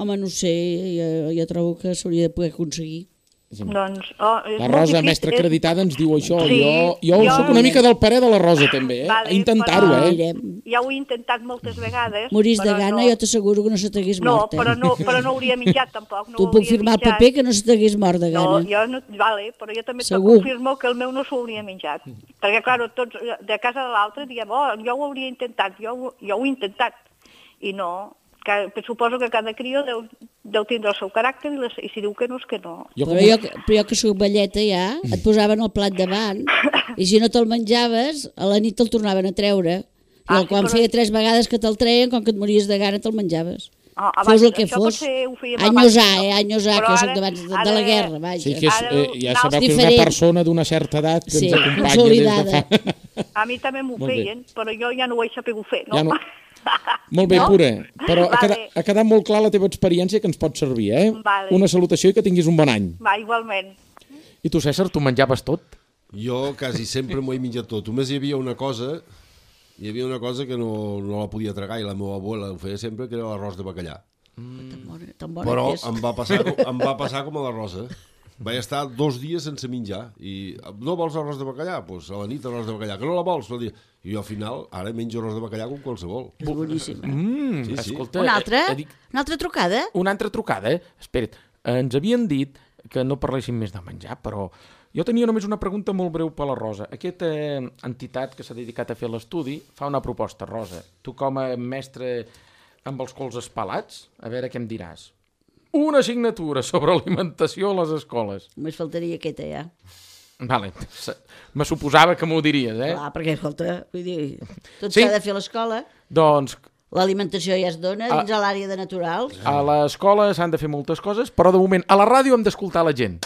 Home, no sé, jo, jo trobo que s'hauria de poder aconseguir. Doncs, oh, la Rosa, mestra és... acreditada, ens diu això. Sí, jo jo, jo soc una mica del parer de la Rosa, també, eh? Vale, intentar-ho, eh? Ja ho he intentat moltes vegades. Morís de gana, no. Jo t'asseguro que no se t'hagués no, mort, eh? Però no, però no hauria menjat, tampoc. No tu puc firmar el paper que no se t'hagués mort de gana. No, jo no, vale, però jo també te Segur. confirmo que el meu no s'ho hauria menjat. Perquè, clar, tots de casa de l'altre diem, oh, jo ho hauria intentat, jo, jo ho he intentat. I no... Que suposo que cada crió deu, deu tindre el seu caràcter i, les, i si diu que no és que no. Jo però, jo, però jo que soc velleta ja, et posaven el plat davant i si no te'l menjaves, a la nit te'l tornaven a treure. I ah, el, quan sí, però... feia tres vegades que te'l treien, com que et mories de gana, te'l menjaves. Ah, abans, fos el que fos. Anyosar, eh? Anyosar, que jo soc d'abans de, de la guerra, vaja. Sí, que és, eh, ja sabeu que és una persona d'una certa edat que sí, ens acompanya des de fa... A mi també m'ho feien, però jo ja no ho he sabut fer, no? Ja no. Molt bé, no? Pura, però vale. ha, quedat, ha quedat molt clar la teva experiència que ens pot servir, eh? Vale. Una salutació i que tinguis un bon any. Va, igualment. I tu, César, tu menjaves tot? Jo quasi sempre m'ho he menjat tot. Només hi havia una cosa, hi havia una cosa que no, no la podia tragar i la meva abuela ho feia sempre, que era l'arròs de bacallà. Mm. Tan bona, tan bona però que és. em va, passar, em va passar com a la Rosa. Vaig estar dos dies sense menjar i no vols arròs de bacallà? Doncs pues a la nit arròs de bacallà. Que no la vols? I jo al final ara menjo arròs de bacallà com qualsevol. És boníssima. Mm, sí, sí. Escolta, una altra? Eh, dic... Una altra trucada? Una altra trucada, eh? Espera't, eh, ens havien dit que no parléssim més de menjar, però jo tenia només una pregunta molt breu per la Rosa. Aquesta eh, entitat que s'ha dedicat a fer l'estudi fa una proposta, Rosa. Tu com a mestre amb els colzes pelats, a veure què em diràs. Una assignatura sobre alimentació a les escoles. Només faltaria aquesta, ja. Vale, me suposava que m'ho diries, eh? Clar, perquè, escolta, vull dir, tot sí? s'ha de fer a l'escola. Doncs... L'alimentació ja es dona dins a l'àrea de naturals. A l'escola s'han de fer moltes coses, però de moment a la ràdio hem d'escoltar la gent.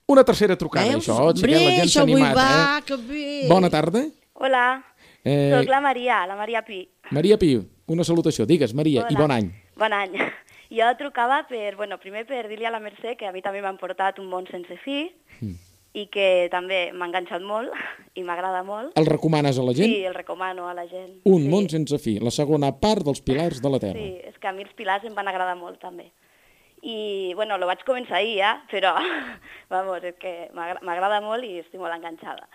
Una tercera trucada, Veus? això, Hombre, la gent s'ha animat, va, eh? Que bé. Bona tarda. Hola, eh... soc la Maria, la Maria Pi. Maria Pi, una salutació. Digues, Maria, Hola. I bon any. Bon any. Jo trucava per, bueno, primer per dir-li a la Mercè que a mi també m'han portat Un món sense fi mm. i que també m'ha enganxat molt i m'agrada molt. El recomanes a la gent? Sí, el recomano a la gent. Un sí. món sense fi, la segona part dels Pilars de la Terra. Sí, és que a mi els Pilars em van agradar molt també. I, bueno, lo vaig començar ahir ja, però, vamos, és que m'agrada molt i estic molt enganxada.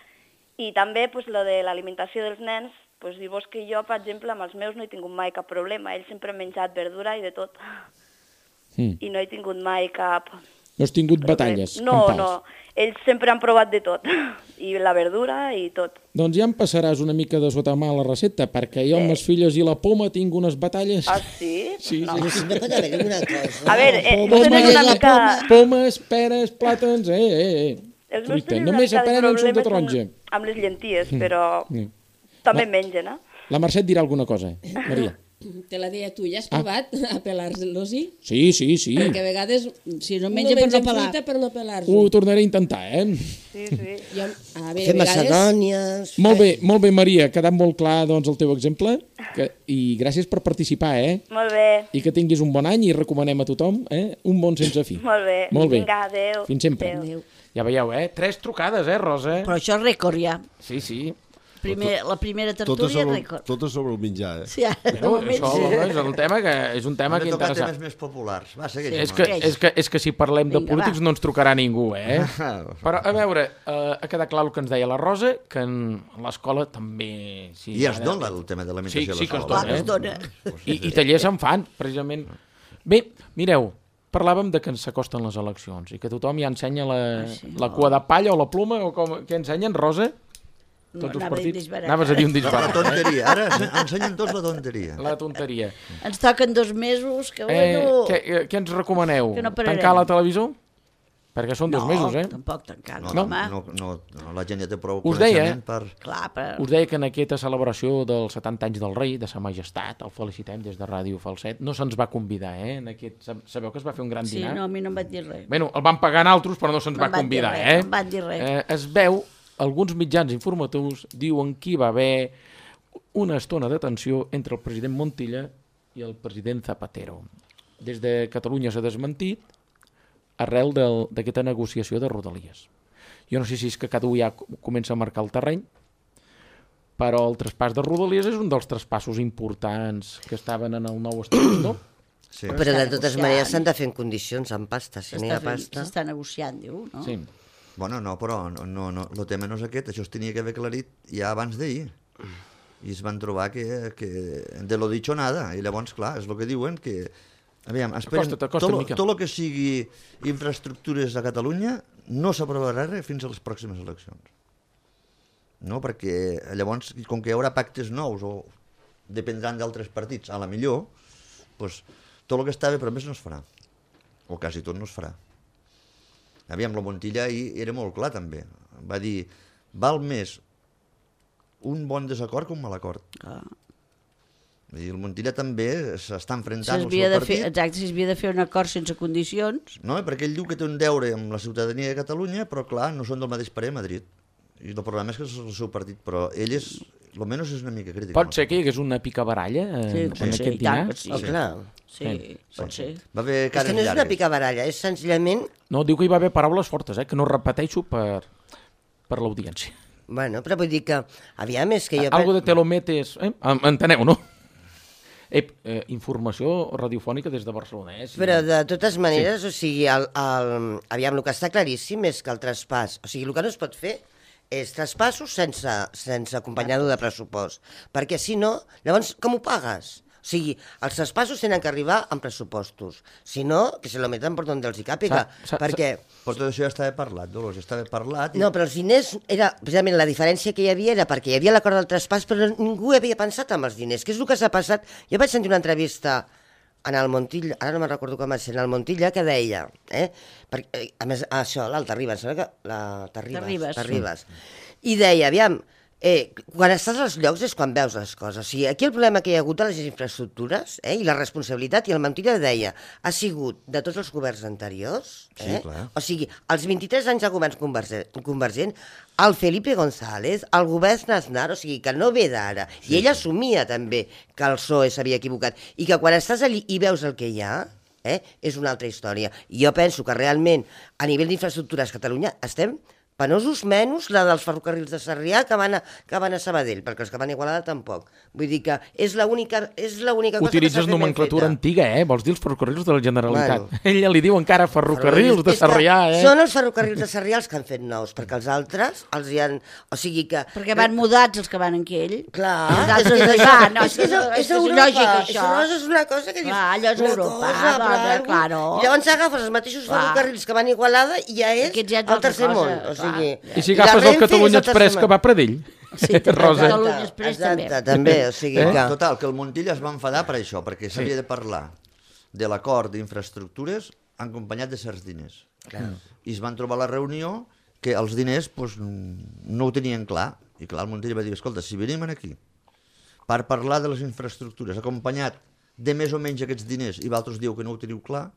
I també, pues, lo de l'alimentació dels nens, pues, dir-vos que jo, per exemple, amb els meus no he tingut mai cap problema. Ells sempre han menjat verdura i de tot. Mm. I no he tingut mai cap... No has tingut batalles? No, no. Ells sempre han provat de tot. I la verdura i tot. Doncs ja em passaràs una mica de sota mà la recepta, perquè jo amb les filles i la poma tinc unes batalles... Ah, sí? Sí, no. sí. Sí, no pot haver una cosa. A veure, eh, Pomes, tenen una mica... Pomes, peres, plàtans, eh, eh, eh. Els meus Fruita. tenen una Només mica de aprenen suc de problemes taronja. amb, amb les llenties, però Mm. també La- mengen, eh? La Mercè et dirà alguna cosa, eh? Maria. Te la deia tu, ja has provat a pelar-los-hi? Sí, sí, sí. Perquè a vegades Si no no menja per no mengen pelar. fruita per no pelar-los. Ho tornaré a intentar, eh? Sí, sí. Jo, a veure, Fer a vegades... macedònies... Molt bé, molt bé, Maria. Ha quedat molt clar, doncs, el teu exemple. Que... I gràcies per participar, eh? Molt bé, I que tinguis un bon any i recomanem a tothom, eh? Un bon sense fi. molt bé. Molt bé. Vinga, adéu. Fins sempre. Adéu. Ja veieu, eh? Tres trucades, eh, Rosa? Però això és rècord ja. Sí, sí. Primer, la primera Totes tertúlia és sobre, rècord. totes sobre el menjar, eh? Sí, ara, de Bueno, moment, això sí. és un tema que és un tema Hem que de tocar interessa. temes més populars. Va, segueix. És que, és, que, és que si parlem de Vinga, polítics va. no ens trucarà ningú, eh? Però, a veure, eh, ha quedat clar el que ens deia la Rosa, que en l'escola també... Sí, I es ara- dona el tema de l'alimentació Sí, sí que es a l'escola. dona, es dona. I, I tallers en fan, precisament. Bé, mireu, parlàvem de que ens s'acosten les eleccions i que tothom ja ensenya la, la cua de palla o la pluma, o com, què ensenyen, Rosa? No, Tots els anava a dir partits? disbarat. Anaves a dir un La, la disbarat, eh? tonteria. Ara ensenyen tots la tonteria. La tonteria. Ens toquen dos mesos, que Eh, bueno... què, eh, què ens recomaneu? Que no pararem. Tancar la televisor? Perquè són dos no, mesos, eh? tampoc tancar, No, no, no, home. no, no, no, la gent ja té prou Us deia, coneixement per... Clar, però... Us deia que en aquesta celebració dels setanta anys del rei, de sa majestat, el felicitem des de Ràdio Falset, no se'ns va convidar, eh? En aquest, sab- sabeu que es va fer un gran Sí, dinar? no, a mi no em van dir res. Bueno, el van pagar en altres, però no se'ns No va em van dir convidar, res, eh? no em van dir res. eh? Es veu, alguns mitjans informatius diuen que hi va haver una estona de tensió entre el president Montilla i el president Zapatero. Des de Catalunya s'ha desmentit arrel del- d'aquesta negociació de Rodalies. Jo no sé si és que cada un ja comença a marcar el terreny, però el traspàs de Rodalies és un dels traspassos importants que estaven en el nou estatut, no? Sí. Però de Està totes negociant. maneres s'han de fer en condicions, amb pasta. Si no hi ha S'està fent- pasta... S'està negociant, diu, no? Sí. Bueno, no, però no, no, no, el tema no és aquest, això es tenia que haver aclarit ja abans d'ahir. I es van trobar que, que de lo dicho nada, i llavors, clar, és el que diuen, que... Aviam, esperen, Acosta't, acosta't, tot, Miquel. tot el que sigui infraestructures a Catalunya no s'aprovarà res fins a les pròximes eleccions. No, perquè llavors, com que hi haurà pactes nous o dependran d'altres partits, a la millor, doncs, tot el que estava promès no es farà. O quasi tot no es farà. Aviam, la Montilla ahir era molt clar també. Va dir, val més un bon desacord que un mal acord. Clar. Vull dir, el Montilla també s'està enfrontant al S'havia seu de fer, partit. exacte, s'havia de fer un acord sense condicions. No, perquè ell diu que té un deure amb la ciutadania de Catalunya, però clar, no són del mateix parer a Madrid. I el problema és que és el seu partit, però ell és, almenys és una mica crític. Pot ser que hi hagués una picabaralla en, Sí, en pot ser, aquest i tant dinar? que sí. Oh, clar. Sí, Sí. pot ser. Va haver És cares que no és una llargues. picabaralla, és senzillament... No, diu que hi va haver paraules fortes, eh? Que no repeteixo per, per l'audiència. Bueno, però vull dir que, aviam, és que jo... Algo de te lo metes... Eh? Em- Enteneu, no? Ep, eh, informació radiofònica des de Barcelona, eh? Sí. Però de totes maneres, sí. O sigui, el, el, aviam, el que està claríssim és que el traspàs, o sigui, el que no es pot fer és traspassos sense, sense acompanyar-ho de pressupost, perquè si no, llavors com ho pagues? O sigui, els traspassos tenen que arribar amb pressupostos, si no, que se lo meten per donde els hi càpiga, Sa- sa- perquè... Però tot això ja estava parlat, Dolors, ja estava parlat. I... No, però els diners, era, precisament la diferència que hi havia era perquè hi havia l'acord del traspàs, però ningú havia pensat en els diners, que és el que s'ha passat. Jo vaig sentir una entrevista en el Montilla, ara no me'n recordo com va ser, en el Montilla, que deia, eh, perquè, a més, això, l'Alta Ribas, sembla que la Terribas, Terribas. Terribas. I deia, aviam, eh, quan estàs als llocs és quan veus les coses. O sigui, aquí el problema que hi ha hagut a les infraestructures, eh, i la responsabilitat, i el Montilla deia, ha sigut de tots els governs anteriors, eh? Sí, clar. O sigui, els vint-i-tres anys de governs convergent, convergent el Felipe González, el govern Aznar, o sigui, que no ve d'ara. I ell assumia també que el P S O E s'havia equivocat. I que quan estàs allí i veus el que hi ha, eh, és una altra història. I jo penso que realment, a nivell d'infraestructures a Catalunya, estem penosos menys la dels ferrocarrils de Sarrià que van a, que van a Sabadell, perquè els que van a Igualada tampoc. Vull dir que és l'única és l'única cosa Utilitzes que s'ha fet ben nomenclatura feta. antiga, eh? Vols dir els ferrocarrils de la Generalitat. Bueno. Ella li diu encara ferrocarrils de És que Sarrià, eh? Són els ferrocarrils de Sarrià els que han fet nous, perquè els altres els hi han... O sigui que... Perquè van mudats els que van en aquell. Clar, Els és, altres és, que és, hi van, no, és, que és, això és, és Europa, lògic, això. Això és una cosa que dius... Clar, allò és una Europa, cosa, dona, però- claro. I llavors agafes els mateixos Clar. ferrocarrils que van a Igualada i ja és Aquests ja és el altra tercer cosa, món. O clar. sigui, I si la agafes el Renfe Catalunya és el Express tercer que món. va a Pradell, Sí, també. Rosa. Catalunya Express també. Exacte, també, o sigui Eh? que... Total, que el Montilla es va enfadar per això, perquè s'havia de parlar de l'acord d'infraestructures acompanyat de certs diners. Clar. I es van trobar a la reunió que els diners pues, no ho tenien clar. I clar, el Montilla va dir, escolta, si venim aquí per parlar de les infraestructures acompanyat de més o menys aquests diners i vosaltres dieu que no ho teniu clar,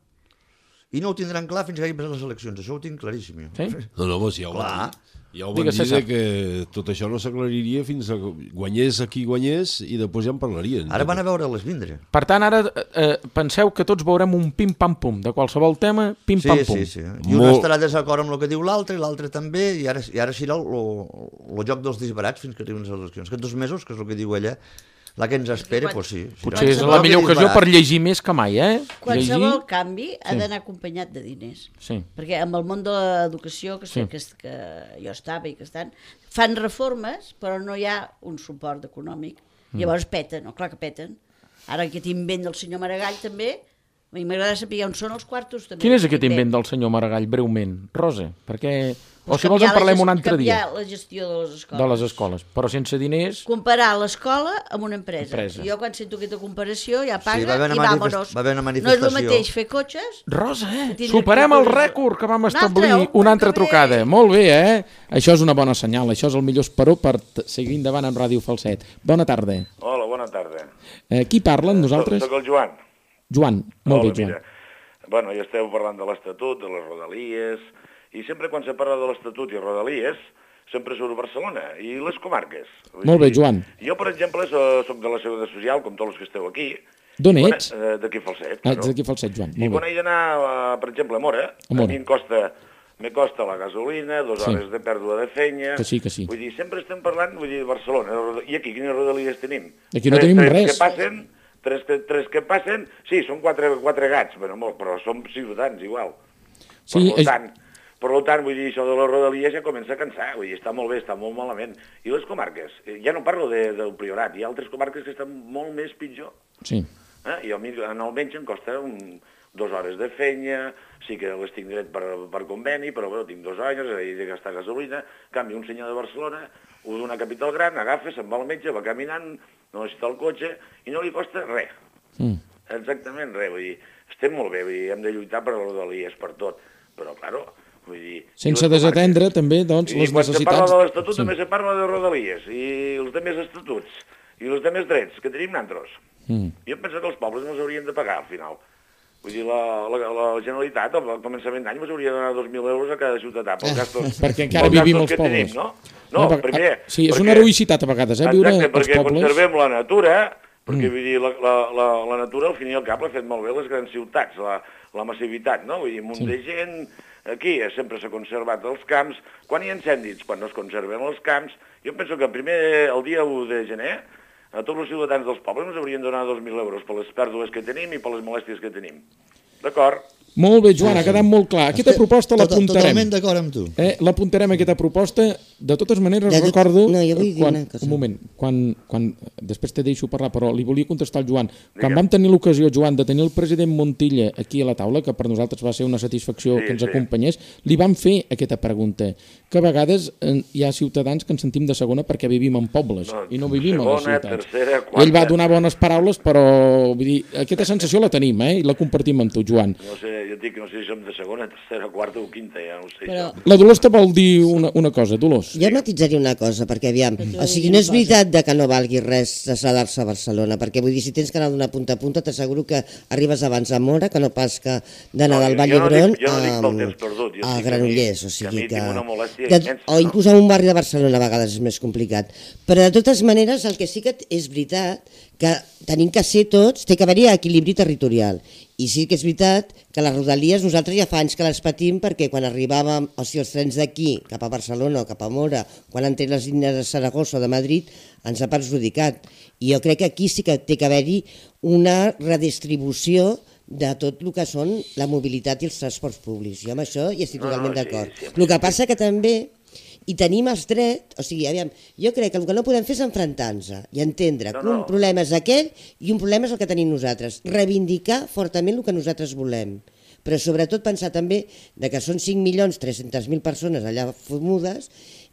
i no ho tindran clar fins que hagin passat les eleccions. Això ho tinc claríssim, jo. Sí? No, no, doncs ja ho Clar. van dir. Ja ho van Digues, dir César. de que tot això no s'aclariria fins a guanyés a qui guanyés i després ja en parlarien. Ara van a veure-les vindre. Per tant, ara eh, penseu que tots veurem un pim-pam-pum. De qualsevol tema, Sí, pim-pam-pum. sí, sí. I un Molt- estarà desacord amb el que diu l'altre, i l'altre també, i ara, i ara serà el, el joc dels disbarats fins que arriben les eleccions. Aquests dos mesos, que és el que diu ella, la que ens espera, doncs sí. serà Potser és un la joc millor de ocasió disbarats. per llegir més que mai, eh? Qualsevol Llegir... canvi ha Sí. d'anar acompanyat de diners. Sí. Perquè amb el món de l'educació, que, Sí. sí. que, que jo estava i que estan, fan reformes, però no hi ha un suport econòmic. Mm. Llavors peten, no? Clar que peten. Ara aquest invent del senyor Maragall també, a mi m'agrada saber on són els quartos. També, Quin és aquest invent del senyor Maragall, breument? Rosa, perquè... O si vols en Canviar la parlem gest- un altre dia. Canviar la gestió de les escoles. De les escoles. Però sense diners... Comparar l'escola amb una empresa. Empresa. I jo quan sento aquesta comparació ja paga va haver una i manifest- vámonos. va haver una No és manifestació. el mateix fer cotxes... Rosa, eh? Que tindria Superem que el posar- rècord que vam Un altre, establir. un Una altra que bé. trucada. Molt bé, eh? Això és una bona senyal. Això és el millor esperó per t- seguir endavant amb Ràdio Falset. Bona tarda. Hola, bona tarda. Eh, qui parla amb nosaltres? Soc el Joan. Joan. Molt Hola, bé, Joan. mira. Bueno, ja esteu parlant de l'Estatut, de les Rodalies, i sempre quan se parla de l'Estatut i Rodalies, sempre surt Barcelona i les comarques. Vull Molt bé, dir, Joan. Jo, per exemple, so- soc de la Seguretat Social, com tots els que esteu aquí. D'on I quan- ets? eh, D'aquí Falset. Ah, claro. ets d'aquí a Falset, Joan. I Molt quan bé. he d'anar, eh, per exemple, a Mora, A Móra. a mi em costa, me costa la gasolina, dues Sí. hores de pèrdua de feina... Que sí, que sí. Vull dir, sempre estem parlant, vull dir, de Barcelona. I aquí, quines Rodalies tenim? Aquí no tres, tenim tres res. Que passen, tres, que, tres que passen, sí, són quatre, quatre gats, però, molt, però som ciutadans igual. Sí, per és... tant, per tant, vull dir, això de les Rodalies ja comença a cansar, vull dir, està molt bé, està molt malament. I les comarques? Eh, Ja no parlo de, del Priorat, hi ha altres comarques que estan molt més pitjor. Sí. Eh? I a mi, en almenys, em costa un, dues hores de feina, sí que les tinc dret per, per conveni, però bueno, tinc dos anys, he de gastar gasolina, en canvi, un senyor de Barcelona, o d'una capital gran, agafa, se'n va al metge, va caminant, no necessita el cotxe, i no li costa res. Mm. Exactament res, vull dir, estem molt bé, vull dir, hem de lluitar per les Rodalies, per tot, però, claro, vull dir... Sense desatendre, també, doncs, I les quan se necessitats... parla de l'Estatut Sí. també se parla de Rodalies, i els demés estatuts, i els demés drets que tenim nosaltres. Mm. Jo penso que els pobles no s'haurien de pagar, al final. Vull dir, la, la, la Generalitat, al començament d'any, ens hauria de donar dos mil euros a cada ciutadà, pels gastos, Perquè encara pels vivim gastos als que pobles. tenim, no? No, per- primer... Sí, és perquè- una heroïcitat a vegades, eh, viure Exacte, als perquè pobles. conservem la natura, perquè Mm. vull dir, la, la, la, la natura, al fin i al cap, l'ha fet molt bé les grans ciutats, la, la massivitat, no? Vull dir, un munt Sí. de gent, aquí sempre s'ha conservat els camps. Quan hi ha incendis? Quan no es conserven els camps. Jo penso que primer, el dia u de gener, a tots els ciutadans dels pobles ens haurien de donar dos mil euros per les pèrdues que tenim i per les molèsties que tenim. D'acord? Molt bé, Joan, ha quedat molt clar. Aquesta Estic proposta tot- l'apuntarem. Totalment d'acord amb tu. Eh, l'apuntarem, aquesta proposta. De totes maneres, De tot- recordo... no, jo vull dir quan, una cosa. un moment, quan, quan, després te deixo parlar, però li volia contestar al Joan. Quan Digue'm. vam tenir l'ocasió, Joan, de tenir el president Montilla aquí a la taula, que per nosaltres va ser una satisfacció Sí, que ens sí. acompanyés, li vam fer aquesta pregunta, que a vegades eh, hi ha ciutadans que ens sentim de segona perquè vivim en pobles No, i no vivim a les segona, ciutats. tercera, quarta. Ell va donar bones paraules, però vull dir, aquesta sensació la tenim, eh, i la compartim amb tu, Joan. No sé, jo dic que no sé si som de segona, tercera, quarta o quinta, ja no ho sé. Però- això. La Dolors te vol dir una, una cosa, Dolors. Jo matitzaria una cosa, perquè aviam, t'ho o sigui, digui no una és cosa. veritat de que no valgui res traslladar-se a Barcelona, perquè vull dir, si tens que anar d'una punta a punta, t'asseguro que arribes abans a Mora que no pas que d'anar No, del jo- Vall jo no d'Hebron dic- jo no dic pel a, temps perdut, jo a dic que Granollers, a mi- o sigui que a mi que... tinc una molèstia que- immensa, o no? inclús en un barri de Barcelona a vegades és més complicat. Però de totes maneres el que sí que és veritat que tenim que ser tots, té que haver-hi equilibri territorial. I sí que és veritat que les rodalies nosaltres ja fa anys que les patim perquè quan arribàvem, o sigui, els trens d'aquí cap a Barcelona o cap a Mora, quan han tret les línies de Saragossa o de Madrid, ens ha perjudicat. I jo crec que aquí sí que té que haver-hi una redistribució de tot el que són la mobilitat i els transports públics. Jo amb això hi estic totalment no, no, d'acord. sí, sí, El que passa que també i tenim els drets, o sigui, aviam, jo crec que el que no podem fer és enfrontar-nos i entendre no, que un no. problema és aquell i un problema és el que tenim nosaltres. Reivindicar fortament el que nosaltres volem, però sobretot pensar també de que són cinc milions tres-centes mil persones allà fumudes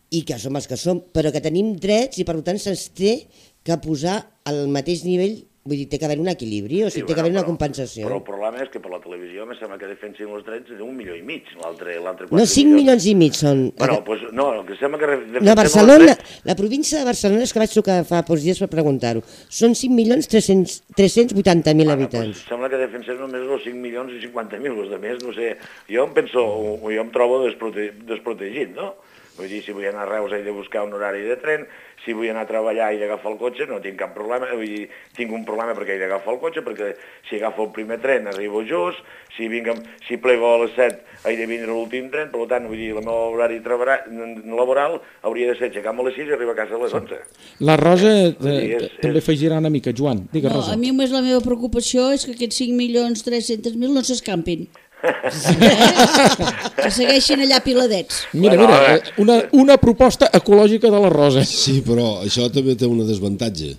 i que som els que som, però que tenim drets i per tant se'ns té que posar al mateix nivell. Vull dir, té que haver un equilibri, o sigui, sí, té que haver una compensació. Però el problema és que per la televisió me sembla que defensin els drets d'un milió i mig, l'altre quatre No, cinc milions i mig són... Bueno, pues, no, el que sembla que defensem No, Barcelona, drets... la província de Barcelona, és que vaig trucar fa pocs dies per preguntar-ho, són cinc milions tres-cents vuitanta mil Bueno, habitants. pues, sembla que defensem només els cinc milions i cinquanta mil, els de més, no sé, jo em penso, o jo em trobo desprote desprotegit, no? Vull dir, si vull anar a Reus he de buscar un horari de tren, si vull anar a treballar i d'agafar el cotxe no tinc cap problema, vull dir, tinc un problema perquè he d'agafar el cotxe, perquè si agafo el primer tren arribo just, si, vinc, si plego a les set he de vindre l'últim tren, per tant, vull dir, el meu horari laboral hauria de ser aixecar-me a les sis i arribar a casa a les onze. La Rosa eh, dir, és, també és... afegirà una mica, Joan. Digues, No, Rosa. a mi més la meva preocupació és que aquests cinc milions tres-cents mil no s'escampin. Que segueixin allà piladets. Mira, Bueno, mira, eh, eh, una, una proposta ecològica de la Rosa. Sí, però això també té una desavantatge.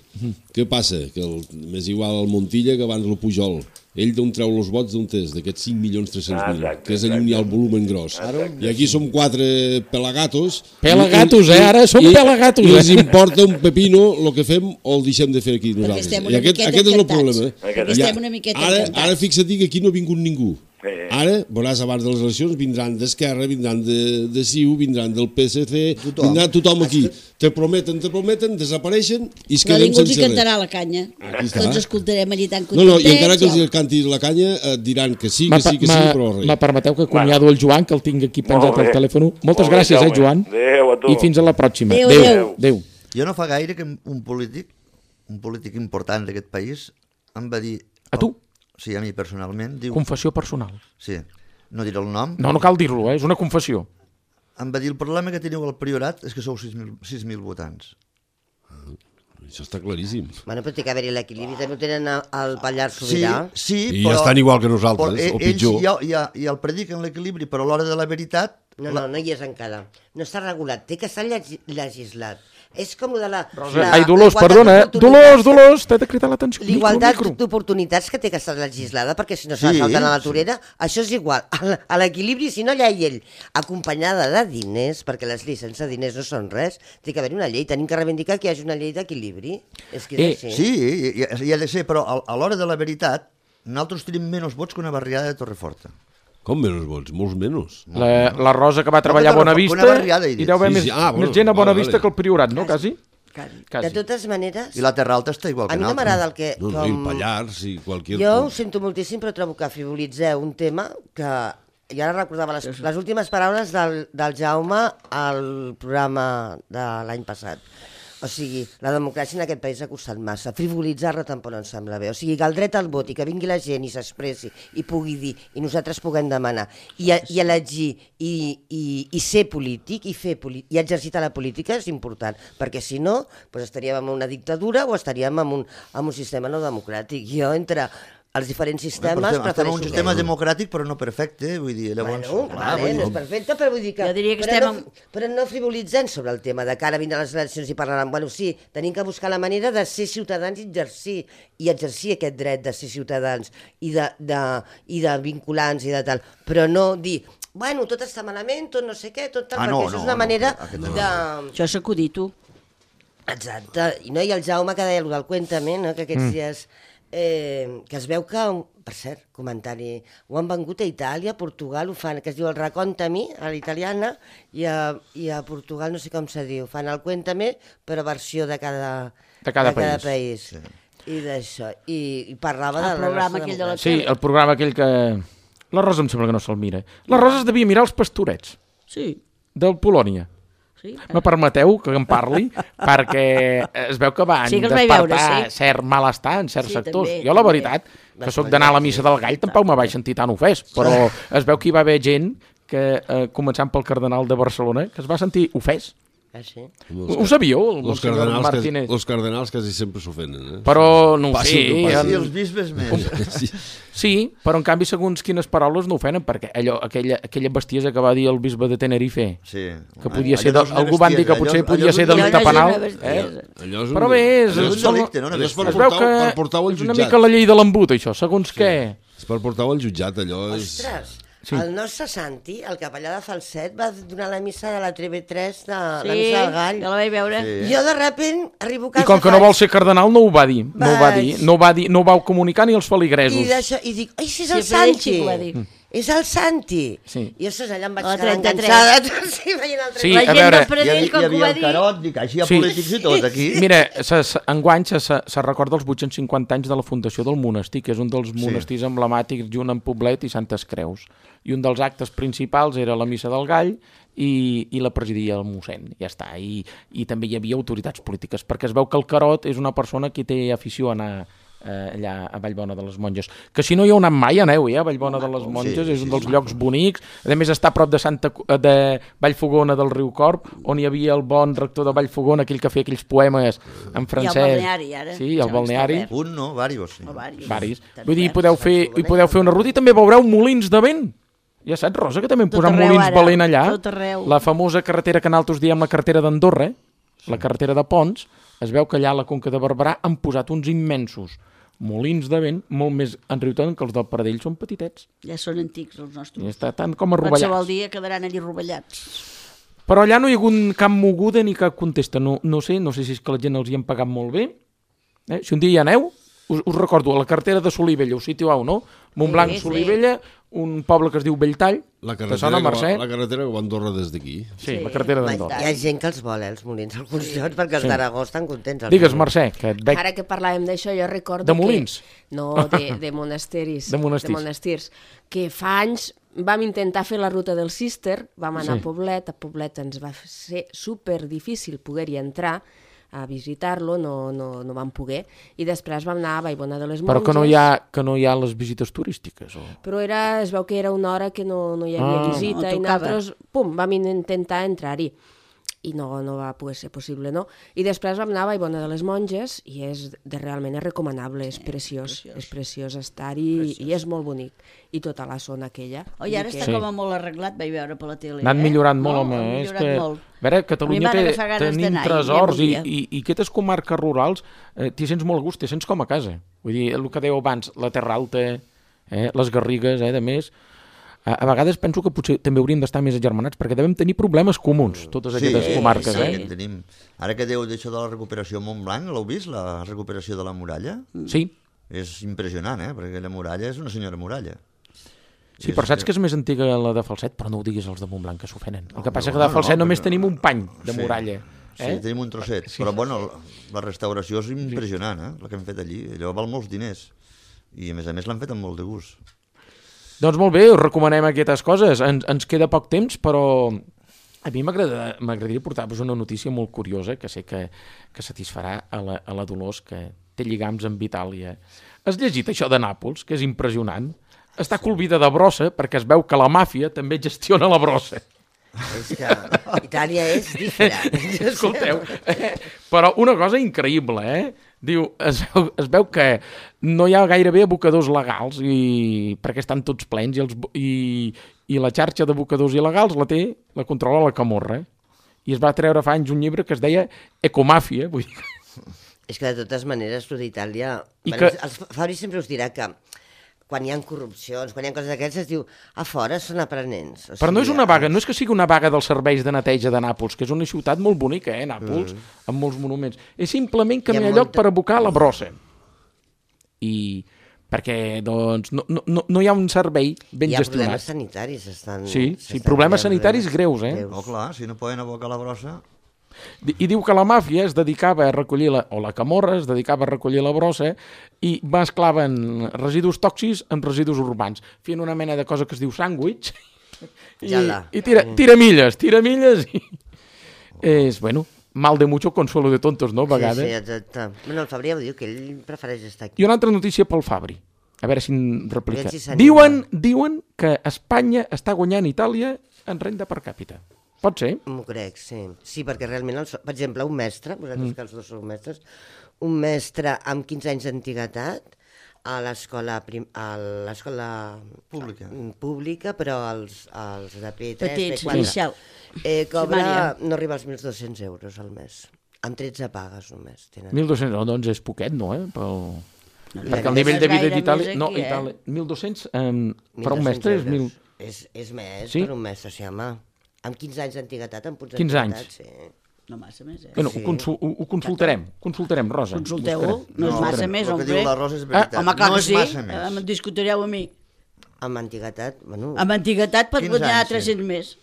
Què passa? Que el, m'és igual al Montilla que abans el Pujol. Ell d'on treu els vots d'on és? D'aquests cinc milions tres-cents mil, Ah, exacte, que és allà on hi ha el volumen gros. Exacte. I aquí som quatre pelagatos. Pelagatos, i- eh? Ara som i- pelagatos, I els eh? importa un pepino el que fem o el deixem de fer aquí Perquè nosaltres. estem I una aquest, miqueta aquest és el encantats. problema. Perquè I estem una miqueta ara, encantats. ara fixa't que aquí no ha vingut ningú. Eh. Ara, veuràs, abans de les eleccions vindran d'Esquerra, vindran de, de C I U, vindran del P S C, Tothom. vindrà tothom aquí. Te prometen, te prometen, desapareixen i es Però quedem ningú els hi sense res. cantarà la canya. Aquí està. Tots escoltarem allí tan No, no, i encara que els ja. canti la canya et diran que sí, Me, que sí, que sí, me, però res. me permeteu que acomiado el Joan, que el tinc aquí penjat Molt bé. al telèfon. Moltes Molt bé, gràcies, eh, Jaume. Joan? Adéu a tu. I fins a la pròxima. Adéu, Adéu. adéu. Adéu. Jo no fa gaire que un polític, un polític important d'aquest país, em va dir... A tu? Sí, a mi personalment. Diu, Confessió personal. sí, no diré el nom. No, no cal dir-lo, eh? És una confessió. Em va dir, el problema que teniu al Priorat és que sou sis mil votants. Això està claríssim. Bueno, però té que haver-hi l'equilibri, també ho tenen al- al Pallars Sí, Sobirà. sí, I però... ja estan igual que però nosaltres, e- o pitjor. Ells ja, ja, ja el prediquen l'equilibri, però a l'hora de la veritat... No, la... no, no hi és encara. No està regulat, té que estar llegis- legislat. És com lo de la... Rosa, la ai, Dolors, igualtat perdona, eh? d'oportunitats Dolors, Dolors, t'he de cridar l'atenció. Micro, L'igualtat micro. d'oportunitats que té que estar legislada, perquè si no se Sí, la salten a la sí. torera, això és igual. A l- A l'equilibri, si no hi ha llei acompanyada de diners, perquè les lleis sense diners no són res, té que haver una llei. Tenim que reivindicar que hi hagi una llei d'equilibri. És que Eh, és així. Sí, i, i, i ha de ser, però a, a l'hora de la veritat, nosaltres tenim menys vots que una barriada de Torreforta. Com menys vots? Molts menys. La, la Rosa que va treballar a No, que Bona una Vista barriada, he i dit. deu haver Sí, més, sí, ah, bueno, més gent a Bona vale, Vista vale. que el Priorat, no? Quasi? De Quasi. totes maneres, I la Terra Alta està igual a que mi no nosaltres. m'agrada el que... No, no, i el Pallars i qualsevol... Jo ho sento moltíssim, però trobo que frivolitzeu un tema que... I ara recordava les, les últimes paraules del, del Jaume al programa de l'any passat. O sigui, la democràcia en aquest país ha costat massa. Frivolitzar-la tampoc no em sembla bé. O sigui, que el dret al vot i que vingui la gent i s'expressi i pugui dir, i nosaltres puguem demanar, i, a, i elegir, i, i, i ser polític, i fer polític, i exercitar la política és important, perquè si no, doncs estaríem en una dictadura o estaríem en un, en un sistema no democràtic. Jo, entre els diferents sistemes, Estem, estem en prefereixo... un sistema democràtic però no perfecte, vull dir, llavors... Bueno, clar, vale, vull no dir, és perfecte, però vull dir que... Jo diria que però, estem no, però no frivolitzant sobre el tema de que ara vindran les eleccions i parlaran. Bueno, sí, tenim que buscar la manera de ser ciutadans i exercir, i exercir aquest dret de ser ciutadans i de, de, i de vinculants i de tal, però no dir... Bueno, tot està malament, tot no sé què, tot tal, Ah, perquè no, això no, és una no, manera aquest no. de... Això s'ha acudit, tu. Exacte, i no, i el Jaume que deia el del Cuéntame, no? Que aquests mm. dies eh, que es veu que, per cert, comentari, ho han vengut a Itàlia, a Portugal, ho fan, que es diu el Raccontami, a l'italiana, i, a, i a Portugal no sé com se diu, fan el Cuéntame, però versió de cada, De cada de cada país. país. Sí. I d'això, i, i parlava El de la programa nostra aquell de la democràcia. Sí, el programa aquell que... La Rosa em sembla que no se'l mira. La Rosa es devia mirar els pastorets Sí, del Polònia. Sí, me permeteu que em parli? Perquè es veu que van Sí que els vaig veure, despertar sí. cert malestar en certs Sí, sectors. també, Jo, la també. veritat, que sóc d'anar a la missa del gall, tampoc me vaig sentir tan ofès, però es veu que hi va haver gent que, eh, començant pel cardenal de Barcelona, que es va sentir ofès. Ah, sí? Ho, ho sabíeu, el Los senyor cardenals, que, Martínez? los cardenals quasi sempre s'ofenen, eh? Però no ho Passi sé. el que passi. en- I els bisbes més. Sí. Sí, però en canvi segons quines paraules no ofenen, perquè allò, aquella, aquella bestiesa que va dir el bisbe de Tenerife, Sí. que podia Allò ser, no de, és una algú van dir que bestiesa, potser allò- podia allò és ser un delicte delicte. penal. Allò és una bestiesa. Eh? Allò és un... Però bé, és, Allò és un són- delicte, no? Una allò és per es bestiesa. veu que portar-ho per portar-ho al és una jutjat. mica la llei de l'embut, això, segons què. És per portar-ho al jutjat, allò és... Ostres, Sí. el nostre Santi, el capellà de Falset, va donar la missa de la T V tres, de la Sí, missa del gall. jo la vaig veure. Sí. Jo de repent arribo a casa... I com que no faig- vol ser cardenal no ho va dir, no ho va dir, Vaig. no ho va dir, no ho vau comunicar ni als feligresos. I, d'això, i dic, ai, si és Sí, el però ell sí Santi. que ho va dir. És el Santi. Sí. I ostres, allà em vaig A la quedar trenta-tres. enganxada. Sí, veient el Sí, La a gent veure, del Hi Pradell, havia, com hi que ho havia va el dir... Carot, dic, així hi ha Sí. polítics i tot aquí. Mira, se, se, enguany se, se, se recorda els vuit-cents cinquanta anys de la fundació del monestir, que és un dels monestirs emblemàtics junt amb Poblet i Santes Creus. I un dels actes principals era la missa del gall i, i la presidia el mossèn, ja està. I, I també hi havia autoritats polítiques, perquè es veu que el Carot és una persona que té afició a anar eh, allà a Vallbona de les Monges. Que si no hi heu anat mai, aneu, eh? A Vallbona de les Monges, Sí, és un sí, dels sí. llocs bonics. A més, està a prop de, Santa, de Vallfogona del Riu Corb, on hi havia el bon rector de Vallfogona, aquell que feia aquells poemes en francès. balneari, ara. Sí, el Sembla que balneari. està obert. Un no, varios. Sí. O varis. Varis. Tan Vull dir, hi oberts. podeu fer, hi podeu fer una ruta i també veureu molins de vent. Ja saps, Rosa, que també hem Tot posat arreu, molins ara. valent allà. Tot arreu. La famosa carretera que nosaltres diem la carretera d'Andorra, eh? La carretera de Ponts, es veu que allà a la Conca de Barberà han posat uns immensos molins de vent, molt més enriutant que els del Pradell, són petitets. Ja són antics, els I nostres. està tant com Qualsevol arrovellats. dia quedaran allí rovellats. Però allà no hi ha hagut cap moguda ni cap contesta. No, no sé, no sé si és que la gent els hi han pagat molt bé. Eh? Si un dia hi aneu, us, us recordo, a la carretera de Solivella, us situeu, no? Montblanc, Sí, sí. Solivella, un poble que es diu Belltall, La que carretera, sona, que va, Mercè? la carretera que va a Andorra des d'aquí. Sí, la carretera d'Andorra. Hi ha gent que els vol, eh, els molins, alguns llocs, perquè els Sí. d'Aragó estan contents. els Digues, molins. Mercè, que et veig... Ara que parlàvem d'això, jo recordo De molins? que... No, de, de monasteris. De monestirs. De monestirs. Que fa anys vam intentar fer la ruta del Cister, vam anar Sí. a Poblet, a Poblet ens va ser super difícil poder-hi entrar, a visitar-lo, no, no, no vam poder, i després vam anar a Vallbona de les Monges. Però que no hi ha, que no hi ha les visites turístiques, o... Però era, es veu que era una hora que no, no hi havia Ah. visita No i tocava. nosaltres, pum, vam intentar entrar-hi i no, no va poder ser possible, no? I després vam anar a Vallbona de les Monges i és de, realment és recomanable, és preciós, preciós. és preciós estar-hi i és molt bonic. I tota la zona aquella. Oi, ara Vull dir està Sí. com a molt arreglat, vaig veure per la tele. N'han eh? millorat molt, no, home. han És millorat que, molt. a veure, Catalunya A mi té, m'han agafat ganes tenim d'anar-hi, tresors ja i, voldria. i, i aquestes comarques rurals eh, t'hi sents molt a gust, t'hi sents com a casa. Vull dir, el que dèieu abans, la Terra Alta, eh, les Garrigues, eh, de més... A, a vegades penso que potser també hauríem d'estar més agermanats perquè devem tenir problemes comuns, totes aquestes sí, comarques. sí, eh? que en tenim. Ara que deu d'això de la recuperació a Montblanc, l'heu vist, la recuperació de la muralla? Sí, És impressionant, eh? Perquè la muralla és una senyora muralla. sí, però saps que és més antiga la de Falset, però no ho diguis als de Montblanc, que s'ofenen. El que passa no, que de no, Falset no, només però- tenim un pany de Sí. muralla. Sí, Eh? tenim un trosset. Sí. Però, bueno, la restauració és impressionant, eh? La que hem fet allí. Allò val molts diners. I, a més a més, l'han fet amb molt de gust. Doncs molt bé, us recomanem aquestes coses. Ens, ens queda poc temps, però a mi m'agrada- m'agradaria portar-vos una notícia molt curiosa que sé que, que satisfarà a la, a la Dolors, que té lligams amb Itàlia. Has llegit això de Nàpols, que és impressionant? Està colvida de brossa perquè es veu que la màfia també gestiona la brossa. És que Itàlia és diferent. Escolteu, eh? Però una cosa increïble, eh? Diu, es veu, es veu que no hi ha gairebé abocadors legals i perquè estan tots plens i, els, bo- i, i la xarxa d'abocadors il·legals la té, la controla la Camorra. Eh? I es va treure fa anys un llibre que es deia Ecomàfia, vull dir... És que de totes maneres, tu d'Itàlia... I Bueno, que- el Fabri sempre us dirà que quan hi ha corrupcions, quan hi ha coses d'aquestes, es diu a fora són aprenents. O Però no és sigui, una vaga, no és que sigui una vaga dels serveis de neteja de Nàpols, que és una ciutat molt bonica, eh, Nàpols, mm. amb molts monuments. És simplement que Hi ha no hi ha lloc molta- per abocar la brossa. I perquè, doncs, no, no, no hi ha un servei ben Hi ha gestionat. problemes sanitaris. Estan, Sí, sí, s'estan problemes creant sanitaris problemes greus, eh? greus. Oh, clar, si no poden abocar la brossa... Di- I diu que la màfia es dedicava a recollir, la, o la Camorra es dedicava a recollir la brossa i mesclaven residus tòxics amb residus urbans, fent una mena de cosa que es diu sàndwich i, Jala. i tira, tira milles, tira milles i... És, bueno, mal de mucho, consuelo de tontos, no? A vegades. Sí, sí, exacte. Bueno, el Fabri ja ho diu, que ell prefereix estar aquí. I una altra notícia pel Fabri. A veure si em replica. Si s'anima. diuen, diuen que Espanya està guanyant Itàlia en renda per càpita. Pot ser? M'ho crec, sí. Sí, perquè realment, el, per exemple, un mestre, vosaltres mm. que els dos sou mestres, un mestre amb quinze anys d'antiguitat a l'escola prim, a l'escola Pública. pública, però els, els de P tres, Petits, P quatre, inicial. eh, cobra, Primària. no arriba als mil dos-cents euros al mes. Amb tretze pagues només. Tenen. mil dos-cents, no, doncs és poquet, no, eh? Pel... No, Perquè el nivell de vida gaire d'Itàlia... més No, aquí, eh? Itàlia... mil dos-cents um, per un mestre és mil... És, és més Sí? per un mestre, sí, home. Amb quinze anys d'antiguitat, amb punts quinze d'antiguitat, sí. No massa més, eh? Bueno, Sí. ho, consul, ho, ho consultarem, consultarem, Rosa. Consulteu-ho, Buscarem. no és massa Buscarem. més, El que hombre. diu la Rosa és veritat. Ah, home, clar no que és sí, massa més. em discutireu amb mi. Amb antiguitat, bueno... Amb antiguitat pot quinze guanyar anys, sí. tres-cents més.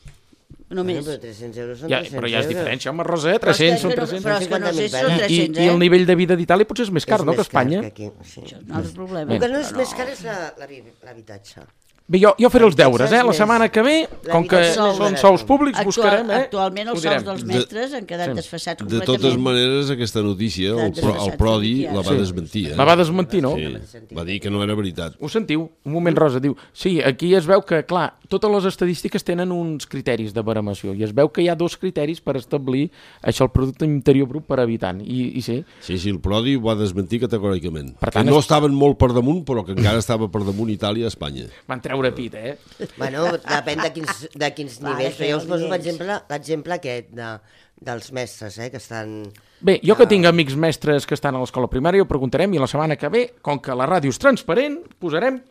Només. Bueno, però tres-cents euros són Ja, tres-cents però ja és euros. diferència, home, Rosa, eh? tres-cents són Però és que no- tres-cents. Però és que no sé si són I, tres-cents, I eh? el nivell de vida d'Itàlia potser és més car, És no, que més car Espanya? que aquí, sí. Això és un altre problema. El que no és Però més car és la- la- l'habitatge. Bé, jo, jo faré els deures, eh? La Més. setmana que ve, com que L'habitatge és són més sous barat. públics, Actual, buscarem, eh? Actualment els Ho direm. sous dels De- mestres han quedat Sí. desfassats De completament. totes maneres, aquesta notícia, el, Estan pro, el desfassats Prodi aquí, ara. la va Sí. desmentir. Eh? La va desmentir, no? Sí, va dir que no era veritat. Ho sentiu? Un moment, Rosa, diu... Sí, aquí es veu que, clar, totes les estadístiques tenen uns criteris de baremació i es veu que hi ha dos criteris per establir això, el producte interior brut per habitant. I, i sí, Sí, sí, el Prodi ho va desmentir categòricament. Per tant, que no és- estaven molt per damunt, però que encara estava per damunt Itàlia i Espanya. van treure pit, eh? Bueno, depèn de quins, de quins Clar, nivells. que Però jo us poso nivells. l'exemple l'exemple aquest de, dels mestres, eh, que estan... Bé, jo que tinc amics mestres que estan a l'escola primària, ho preguntarem i la setmana que ve, com que la ràdio és transparent, posarem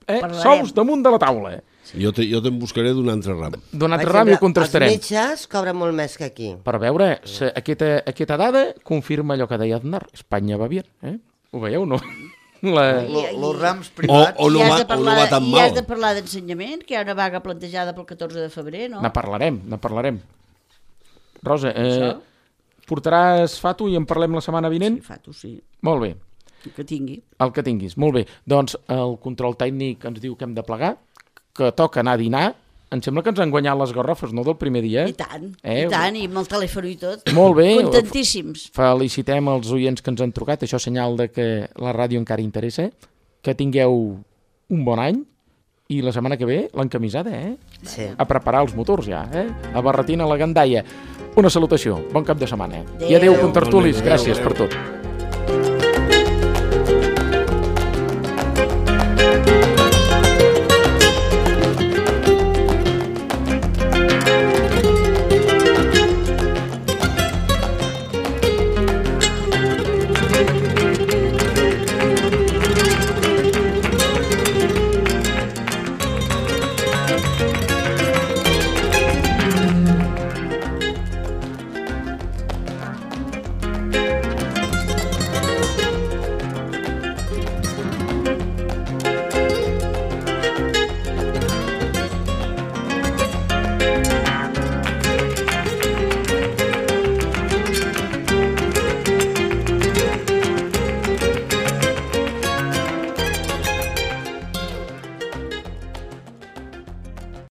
eh, Parlarem. sous damunt de la taula. Jo te, jo te'n buscaré d'un altre ram. D'una Per altra ràdio exemple, contrastarem. Els metges cobren molt més que aquí. Per veure, se, aquesta, aquesta dada confirma allò que deia Aznar. Espanya va bien, eh? Ho veieu, no? La... Els rams O, privats... o, no I has va, de o no parlar, va tan i mal. has de parlar d'ensenyament, que hi ha una vaga plantejada pel catorze de febrer, no? Ne parlarem, ne parlarem. Rosa, eh, Això? portaràs Fatu i en parlem la setmana vinent? Sí, Fato, sí, Molt bé, que tingui. el que tinguis. Molt bé, doncs el control tècnic ens diu que hem de plegar, que toca anar a dinar. Em sembla que ens han guanyat les garrofes, no?, del primer dia. I tant, Eh? i tant, i amb el telèfon i tot. Molt bé. Contentíssims. Felicitem els oients que ens han trucat, això és senyal de que la ràdio encara interessa, que tingueu un bon any i la setmana que ve l'encamisada, eh? Sí. A preparar els motors ja, eh? A Barretina, a la Gandaia. Una salutació, bon cap de setmana. Adéu. I adéu, contertulis, Adéu, gràcies adéu. per tot.